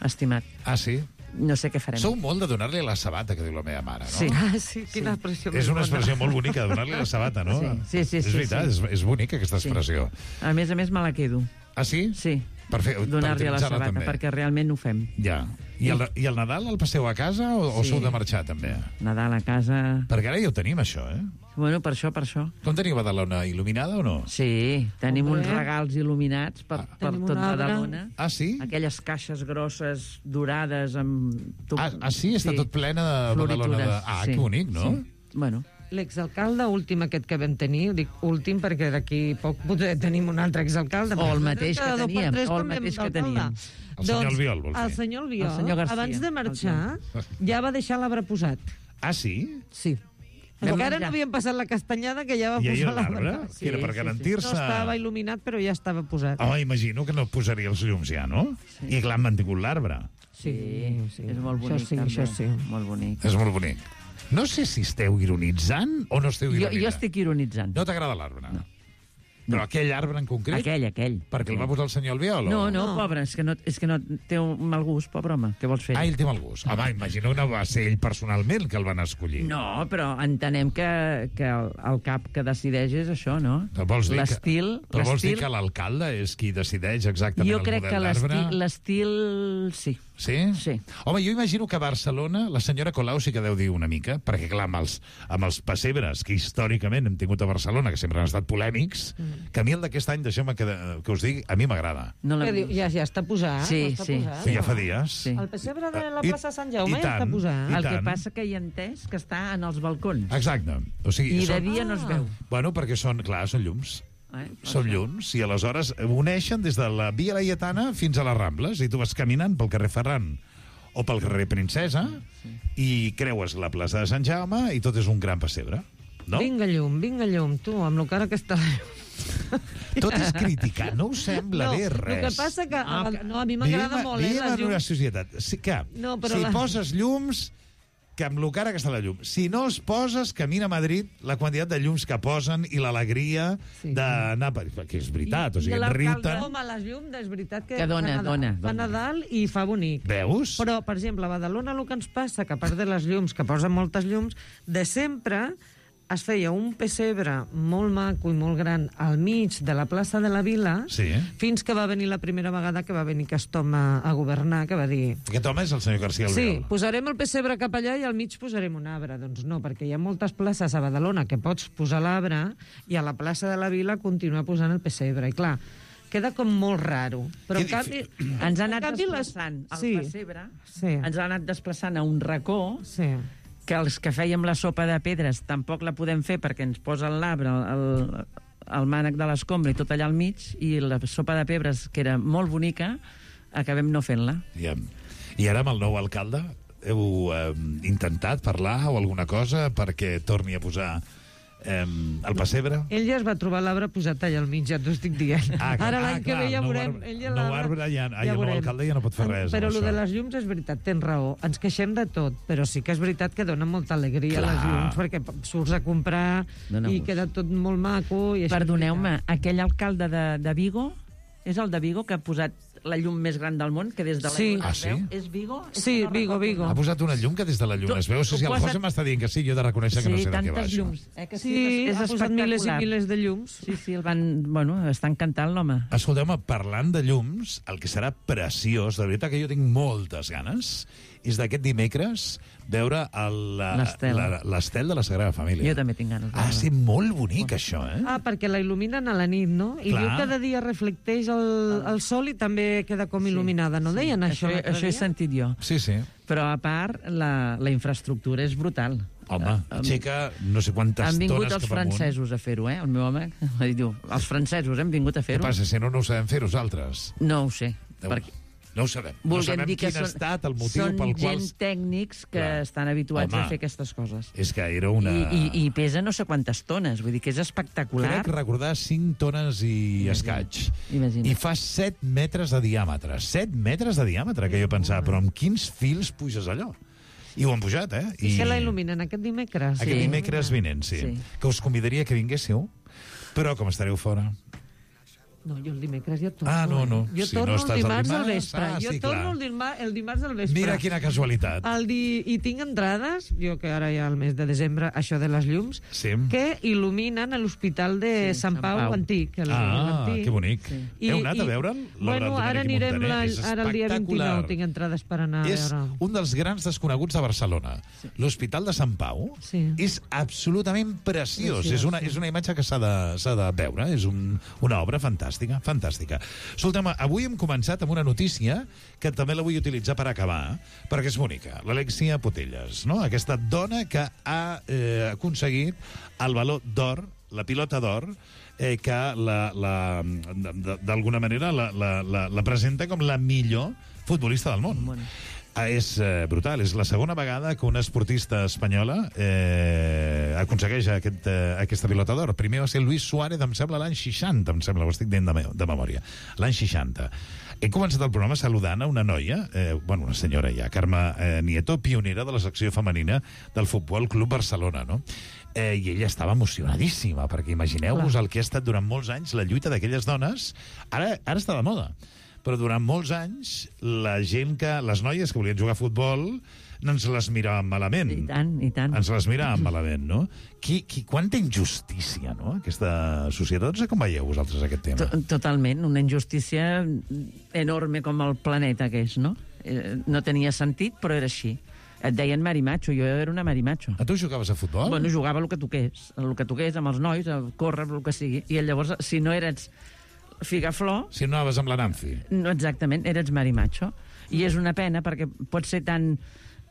estimat. Ah, sí? No sé què farem. Sou molt de donar-li la sabata, que diu la meva mare, no? Sí. Ah, sí, quina expressió És més una bona. expressió molt bonica, donar-li la sabata, no? Sí, sí, sí, És sí, veritat, sí. És, és bonica aquesta Sí. expressió. A més a més, me la quedo. Ah, sí? Sí. Per fer, per Donar-li a la utilitzar-la sabata, també. perquè realment ho fem. Ja. I el, I el Nadal el passeu a casa o, o Sí. sou de marxar, també? Nadal a casa... Perquè ara ja ho tenim, això, eh? Bueno, per això, per això. Com teniu Badalona il·luminada o no? Sí, tenim Hombre. uns regals il·luminats per, per Tenim tot un arbre. Badalona. Ah, sí? Aquelles caixes grosses, dorades, amb... Tu... Ah, ah, sí? Està tot plena de Badalona. De... Ah, sí. que bonic, no? Sí. Bueno, L'exalcalde últim aquest que vam tenir, dic últim perquè d'aquí poc potser tenim un altre exalcalde. O el perquè mateix que cada dos per teníem, tres o el canviem mateix que d'alcalde. teníem. El senyor Albiol, vols dir? El senyor Albiol, El senyor García. abans de marxar, ja va deixar l'arbre posat. Ah, sí? Sí. Vam Encara menjar. no havíem passat la castanyada que ja va I ahir posar l'arbre? l'arbre. Que era per garantir-se... No estava il·luminat, però ja estava posat. Oh, imagino que no posaria els llums ja, no? Sí. I clar, han mantingut l'arbre. sí, sí, és molt bonic. Això sí, també. això sí. Molt bonic. És molt bonic. No sé si esteu ironitzant o no esteu Jo, ironitzant. jo estic ironitzant. No t'agrada l'arbre? No. Però aquell arbre en concret? Aquell, aquell. Perquè el va posar el senyor Albiol? No, o... no, pobre, és que no, és que no té un mal gust, pobre home. Què vols fer? Ah, ell té mal gust. Home, imagino que no va ser ell personalment que el van escollir. No, però entenem que, que el, el cap que decideix és això, no? Però vols dir que- L'estil... Però vols dir l'estil- que l'alcalde és qui decideix exactament Jo el crec model que d'arbre? l'estil... l'estil... Sí. Sí? Sí. Home, jo imagino que a Barcelona la senyora Colau sí que deu dir una mica, perquè, clar, amb els, amb els pessebres que històricament hem tingut a Barcelona, que sempre han estat polèmics, mm. que a mi el d'aquest any, deixeu-me que, que us digui, a mi m'agrada. No Què diu? Ja, ja està posat. Sí, està sí. posat. Sí, ja fa dies. Sí. El pessebre de la I- plaça Sant Jaume i ja està tant, posat. i El que tant. passa que hi ha entès que està en els balcons. Exacte. O sigui, I de són- dia no es veu. Bueno, perquè són, clar, són llums. Eh? Són llums, i aleshores uneixen des de la Via Laietana fins a les Rambles, i tu vas caminant pel carrer Ferran o pel carrer Princesa, i creues la plaça de Sant Jaume, i tot és un gran pessebre. No? Vinga llum, vinga llum, tu, amb lo cara que està la llum. Tot és criticar, no us sembla No, bé res. el que passa que... Ah, No, a mi m'agrada vivim- molt, eh, vivim les en una llums. societat. Sí, que, No, però si la- poses llums, que amb lo cara que està la llum. Si no els poses, camina a Madrid la quantitat de llums que posen i l'alegria Sí. d'anar... per- Que és veritat, o sigui, I en l'alcalde, Riuten... home, les llums, és veritat que, Que dona, fa Nadal, dona, fa dona. Nadal i fa bonic. Veus? Però, per exemple, a Badalona el que ens passa, que a part de les llums, que posen moltes llums, de sempre es feia un pessebre molt maco i molt gran al mig de la plaça de la Vila, Sí. fins que va venir la primera vegada que va venir aquest home a governar, que va dir... Aquest home és el senyor García Sí, Albiol. posarem el pessebre cap allà i al mig posarem un arbre. Doncs no, perquè hi ha moltes places a Badalona que pots posar l'arbre i a la plaça de la Vila continuar posant el pessebre. I clar, queda com molt raro. Però en canvi... Ens ha anat en canvi, les- desplaçant el Sí. pessebre, Sí. ens ha anat desplaçant a un racó, Sí. que els que fèiem la sopa de pedres tampoc la podem fer perquè ens posen l'arbre, el, el mànec de l'escombra i tot allà al mig, i la sopa de pedres, que era molt bonica, acabem no fent-la. Ja. I ara amb el nou alcalde heu eh, intentat parlar o alguna cosa perquè torni a posar eh, el pessebre? Ell ja es va trobar l'arbre posat allà al mig, ja t'ho estic dient. Ah, clar, Ara ah, l'any que clar, ve ja el nou veurem. arbre- Ell ja el nou l'arbre- arbre ja- ai, el nou veurem. alcalde ja no pot fer res Però amb el això. de les llums és veritat, tens raó. Ens queixem de tot, però sí que és veritat que dona molta alegria Clar. les llums, perquè surts a comprar Dona i gust. queda tot molt maco. I això és Perdoneu-me, aquell alcalde de, de Vigo, és el de Vigo que ha posat la llum més gran del món, que des de la Sí. llum Ah, es sí? veu? És Vigo? És Sí, que no Vigo, recordo. Vigo. Ha posat una llum que des de la llum Tu- es veu. Sí, sí, el tu José posa't- m'està dient que sí, jo he de reconèixer que no sé de què va tantes això. llums. Eh, que sí, Sí, és, és ha posat milers i espectacular. milers de llums. Sí, sí, el van... Bueno, està encantant l'home. Escolteu-me, parlant de llums, el que serà preciós, de veritat que jo tinc moltes ganes, és d'aquest dimecres veure el- la- L'estel. la- l'estel de la Sagrada Família. Jo també tinc ganes. de Ha de veure. ser molt bonic, això, eh? Ah, perquè la il·luminen a la nit, no? I Clar. diu que de dia reflecteix el, el sol i també queda com il·luminada, no deien això? Això, l'altre això he dia? sentit jo. Sí, sí. Però, a part, la, la infraestructura és brutal. Home, Eh, aixeca no sé quantes Han vingut tones els cap amunt. francesos a fer-ho, eh? El meu home va dir, diu, els francesos hem vingut a Què fer-ho. passa, si no, no ho sabem fer nosaltres? No ho sé. Déu, Perquè no ho sabem. No volguem sabem dir que quin ha són, estat el motiu són pel qual... gent tècnics que Clar. estan habituats Home. a fer aquestes coses. És que era una... I, i, I pesa no sé quantes tones, vull dir que és espectacular. Crec recordar cinc tones i escaig. Imagina't. I fa set metres de diàmetre. set metres de diàmetre, que jo pensava, però amb quins fils puges allò? I ho han pujat, eh? I que la il·luminen aquest dimecres. Aquest dimecres vinent, sí. Sí. Que us convidaria que vinguéssiu, però com estareu fora... No, jo el dimecres ja torno. Ah, no, no. eh? Jo Si torno no el estàs el dimarts al dimarts, vespre. ah, jo sí, torno clar. el, dimar el dimarts al vespre. Mira quina casualitat. El di... I tinc entrades, jo que ara ja al mes de desembre, això de les llums, Sí. que il·luminen l'Hospital de sí, Sant Pau, Pau. antic. El, Ah, l'antic. que bonic. I, Heu anat a veure'l? L'obra Bueno, del ara Domènec i anirem Montaner? la, És ara el dia espectacular. vint-i-nou, tinc entrades per anar És a veure. un dels grans desconeguts de Barcelona. L'Hospital de Sant Pau Sí. és absolutament preciós. Preciós, és, una, sí. és una imatge que s'ha de, s'ha de veure. És un, una obra fantàstica, fantàstica. Escolta'm, avui hem començat amb una notícia que també la vull utilitzar per acabar, perquè és bonica. L'Alexia Potelles, no? Aquesta dona que ha eh, aconseguit el valor d'or, la pilota d'or, eh, que la, la, d- d'alguna manera la, la, la, la presenta com la millor futbolista del món. Ah, és eh, brutal, és la segona vegada que una esportista espanyola eh, aconsegueix aquest, eh, aquesta pilota d'or. Primer va ser Luis Suárez, em sembla, l'any seixanta, em sembla, ho estic dient de, me de memòria. L'any seixanta. He començat el programa saludant a una noia, eh, bueno, una senyora ja, Carme eh, Nieto, pionera de la secció femenina del Futbol Club Barcelona, no? Eh, I ella estava emocionadíssima, perquè imagineu-vos el que ha estat durant molts anys la lluita d'aquelles dones. Ara, ara està de moda. Però durant molts anys, la gent que... les noies que volien jugar a futbol no ens les miràvem malament. I tant, i tant. Ens les miràvem malament, no? Qui, qui, quanta injustícia, no?, aquesta societat. No sé com veieu vosaltres aquest tema. To- Totalment, una injustícia enorme com el planeta que és, no? eh, no tenia sentit, però era així. Et deien marimacho, jo era una marimacho. A tu jugaves a futbol? Bueno, jugava el que toqués, el que toqués amb els nois, a córrer, el que sigui. I llavors, si no eres figaflor... Si no anaves amb la Nancy. No, exactament, eres marimacho. I és una pena, perquè pot ser tan,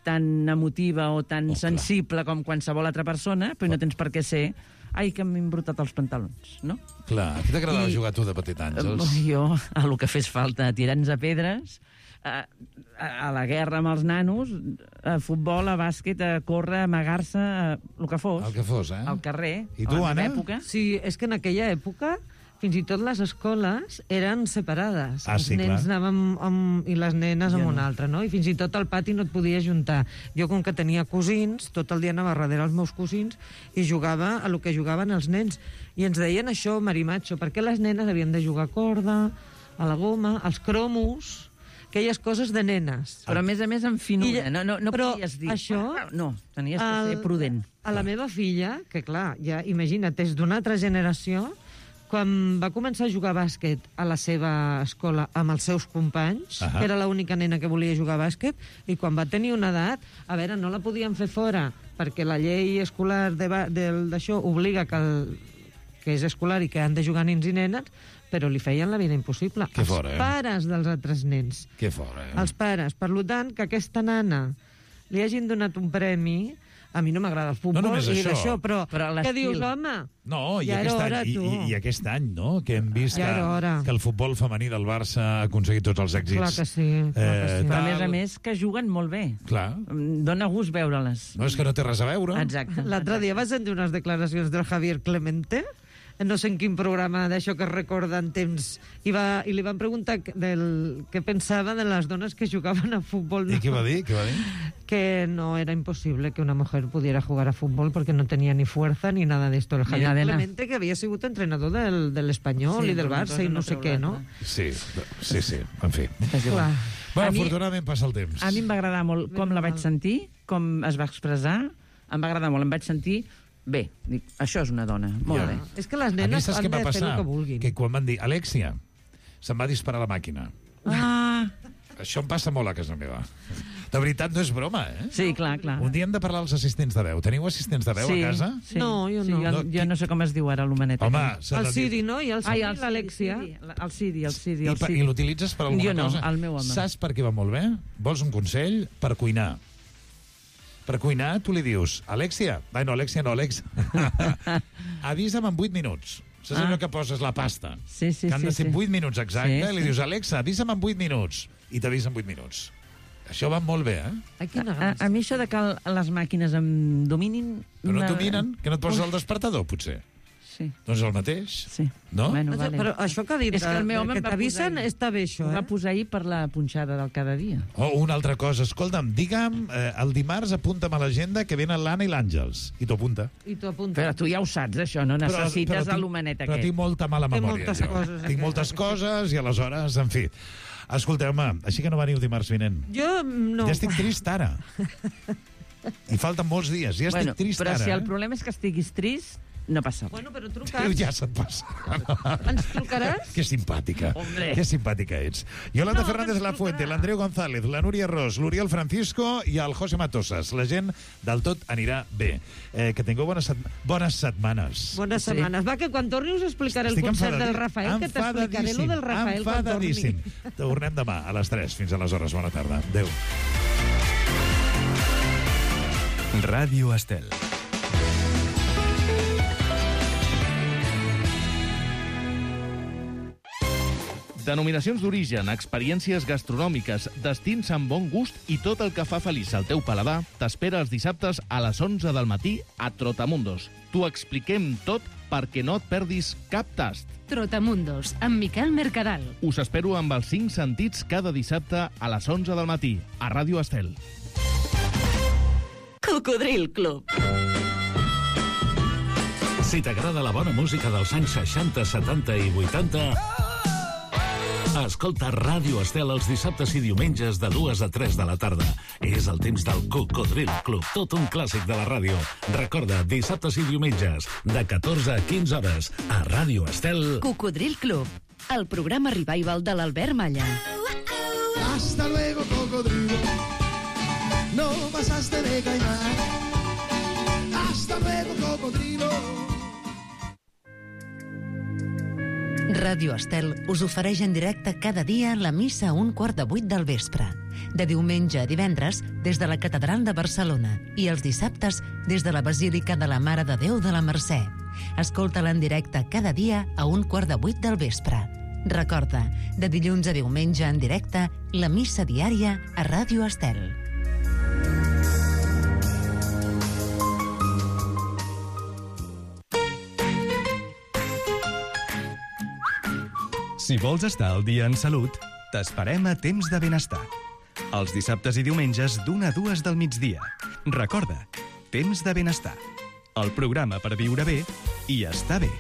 tan emotiva o tan oh, sensible com qualsevol altra persona, però no tens per què ser... Ai, que m'he embrutat els pantalons, no? Clar, a qui t'agradava I... jugar tu de petit, Àngels? Jo, a lo que fes falta, tirant-nos a pedres... A, a, a la guerra amb els nanos, a futbol, a bàsquet, a córrer, a amagar-se, el que fos. El que fos, eh? Al carrer. I tu, Anna? Època. Sí, és que en aquella època fins i tot les escoles eren separades. Ah, els sí, nens clar. anaven amb, amb, i les nenes amb Jo una no. altra, no? I fins i tot al pati no et podies juntar. Jo, com que tenia cosins, tot el dia anava darrere els meus cosins i jugava a lo que jugaven els nens. I ens deien això, marimacho, perquè les nenes havien de jugar a corda, a la goma, als cromos... aquelles coses de nenes. Però, a més a més, en finura. No, no, no però podies dir... Això, no, tenies que ser prudent. A la meva filla, que clar, ja imagina't, és d'una altra generació, quan va començar a jugar a bàsquet a la seva escola amb els seus companys, Ahà. que era l'única nena que volia jugar a bàsquet, i quan va tenir una edat, a veure, no la podien fer fora, perquè la llei escolar d'això obliga que, el, que és escolar i que han de jugar nens i nenes, però li feien la vida impossible. Que els fora, eh? pares dels altres nens. Que fora, eh? Els pares. Per tant, que aquesta nana li hagin donat un premi... A mi no m'agrada el futbol No només i això. d'això, però, Però què l'estil. dius, home? No, i Ja aquest, era any, hora, i, tu. i, i aquest any, no?, que hem vist Ja que, era hora. que el futbol femení del Barça ha aconseguit tots els èxits. Clar que sí, clar que sí. Però, a tal. més a més, que juguen molt bé. Clar. Dóna gust veure-les. No, és que no té res a veure. Exacte. L'altre dia vas sentir unes declaracions del Javier Clemente, no sé en quin programa d'això que es recorda en temps, i, va, i li van preguntar del, què pensava de les dones que jugaven a futbol. I què va dir? Què va dir? Que no era imposible que una mujer pudiera jugar a fútbol porque no tenía ni fuerza ni nada de esto. El Javier Clemente, que había sido entrenador del, del Espanyol Sí, i del però Barça i no sé què, no? Sí, sí, sí, en fi. Clar. Bueno, A mi- afortunadament passa el temps. A mi em va agradar molt com la vaig sentir, com es va expressar, em va agradar molt, em vaig sentir bé. Dic, això és una dona, molt Ja. bé. És que les A mi nenes saps han què va de fer passar? el que vulguin. Que quan van dir, Alexia, se'n va disparar la màquina. Ah, Això em passa molt a casa meva. De veritat, no és broma, eh? sí, clar, clar. Un dia hem de parlar als assistents de veu. Teniu assistents de veu sí, a casa? Sí. No, jo sí, no. Jo, No, jo no sé com es diu ara l'homenet. Home, aquell. s'ha El de dir- Siri, no? I el Ai, Siri, el l'Alexia. Siri, el Siri, el Siri, I, el per, Siri. I l'utilitzes per alguna Jo no, cosa? el meu home. Saps per què va molt bé? Vols un consell? Per cuinar. Per cuinar, tu li dius, Alexia, ai no, Alexia no, Alex, avisa'm en vuit minuts. Saps Ah. allò que poses la pasta? Sí, sí, que han de sí, ser sí. vuit minuts exacte, Sí, i li sí. dius, Alexa, avisa'm en vuit minuts. I t'avisa en vuit minuts. Això va molt bé, eh? Ai, quina A, a mi això de que el- les màquines em dominin... Però no una- et dominen? Que no et poses Ui, el despertador, potser? Sí. Doncs el mateix. Sí. No? Bueno, vale. Però això que ha dit, És que el meu home que em va t'avisen, posar ahir. està bé això, Ho va eh? posar ahir per la punxada del cada dia. Oh, una altra cosa. Escolta'm, digue'm, eh, el dimarts apunta'm a l'agenda que venen l'Anna i l'Àngels. I t'ho apunta. I t'ho apunta. Però tu ja ho saps, això, no necessites tinc- l'homenet Però aquest. tinc molta mala Té memòria. moltes jo. coses, Tinc aquest. moltes coses i aleshores, en fi. Escolteu-me, així que no veniu dimarts vinent. Jo no. Ja estic trist ara. I falten molts dies. Ja estic Bueno, trist però ara. si el eh? problema és que estiguis trist, no passa res. Bueno, però Tu truca'ns. ja se't passa. Ens trucaràs? Que simpàtica. Hombre. Que simpàtica ets. Yolanda No, Fernández ens La Fuente, trucarà. l'Andreu González, la Núria Ros, l'Oriol Francisco i el José Matosas. La gent del tot anirà bé. Eh, que tingueu bones, set... bones setmanes. Bones Sí. setmanes. Va, que quan torni us explicaré el Estic concert enfadadí- del Rafael, que t'explicaré lo del Rafael quan torni. enfadadíssim. Tornem demà a les tres. Fins aleshores. Bona tarda. Adéu. Ràdio Estel. Denominacions d'origen, experiències gastronòmiques, destins amb bon gust i tot el que fa feliç al teu paladar t'espera els dissabtes a les onze del matí a Trotamundos. T'ho expliquem tot perquè no et perdis cap tast. Trotamundos, amb Miquel Mercadal. Us espero amb els cinc sentits cada dissabte a les onze del matí a Ràdio Estel. Cocodril Club. Si t'agrada la bona música dels anys seixanta, setanta i vuitanta, escolta Ràdio Estel els dissabtes i diumenges de dues a tres de la tarda. És el temps del Cocodril Club, tot un clàssic de la ràdio. Recorda, dissabtes i diumenges, de catorze a quinze hores, a Ràdio Estel. Cocodril Club, el programa revival de l'Albert Malla. Hasta luego, cocodrilo. No pasaste de caimán. Hasta luego, cocodrilo. Ràdio Estel us ofereix en directe cada dia la missa a un quart de vuit del vespre. De diumenge a divendres, des de la Catedral de Barcelona, i els dissabtes, des de la Basílica de la Mare de Déu de la Mercè. Escolta-la en directe cada dia a un quart de vuit del vespre. Recorda, de dilluns a diumenge en directe, la missa diària a Ràdio Estel. Si vols estar al dia en salut, t'esperem a Temps de Benestar. Els dissabtes i diumenges d'una a dues del migdia. Recorda, Temps de Benestar. El programa per viure bé i estar bé.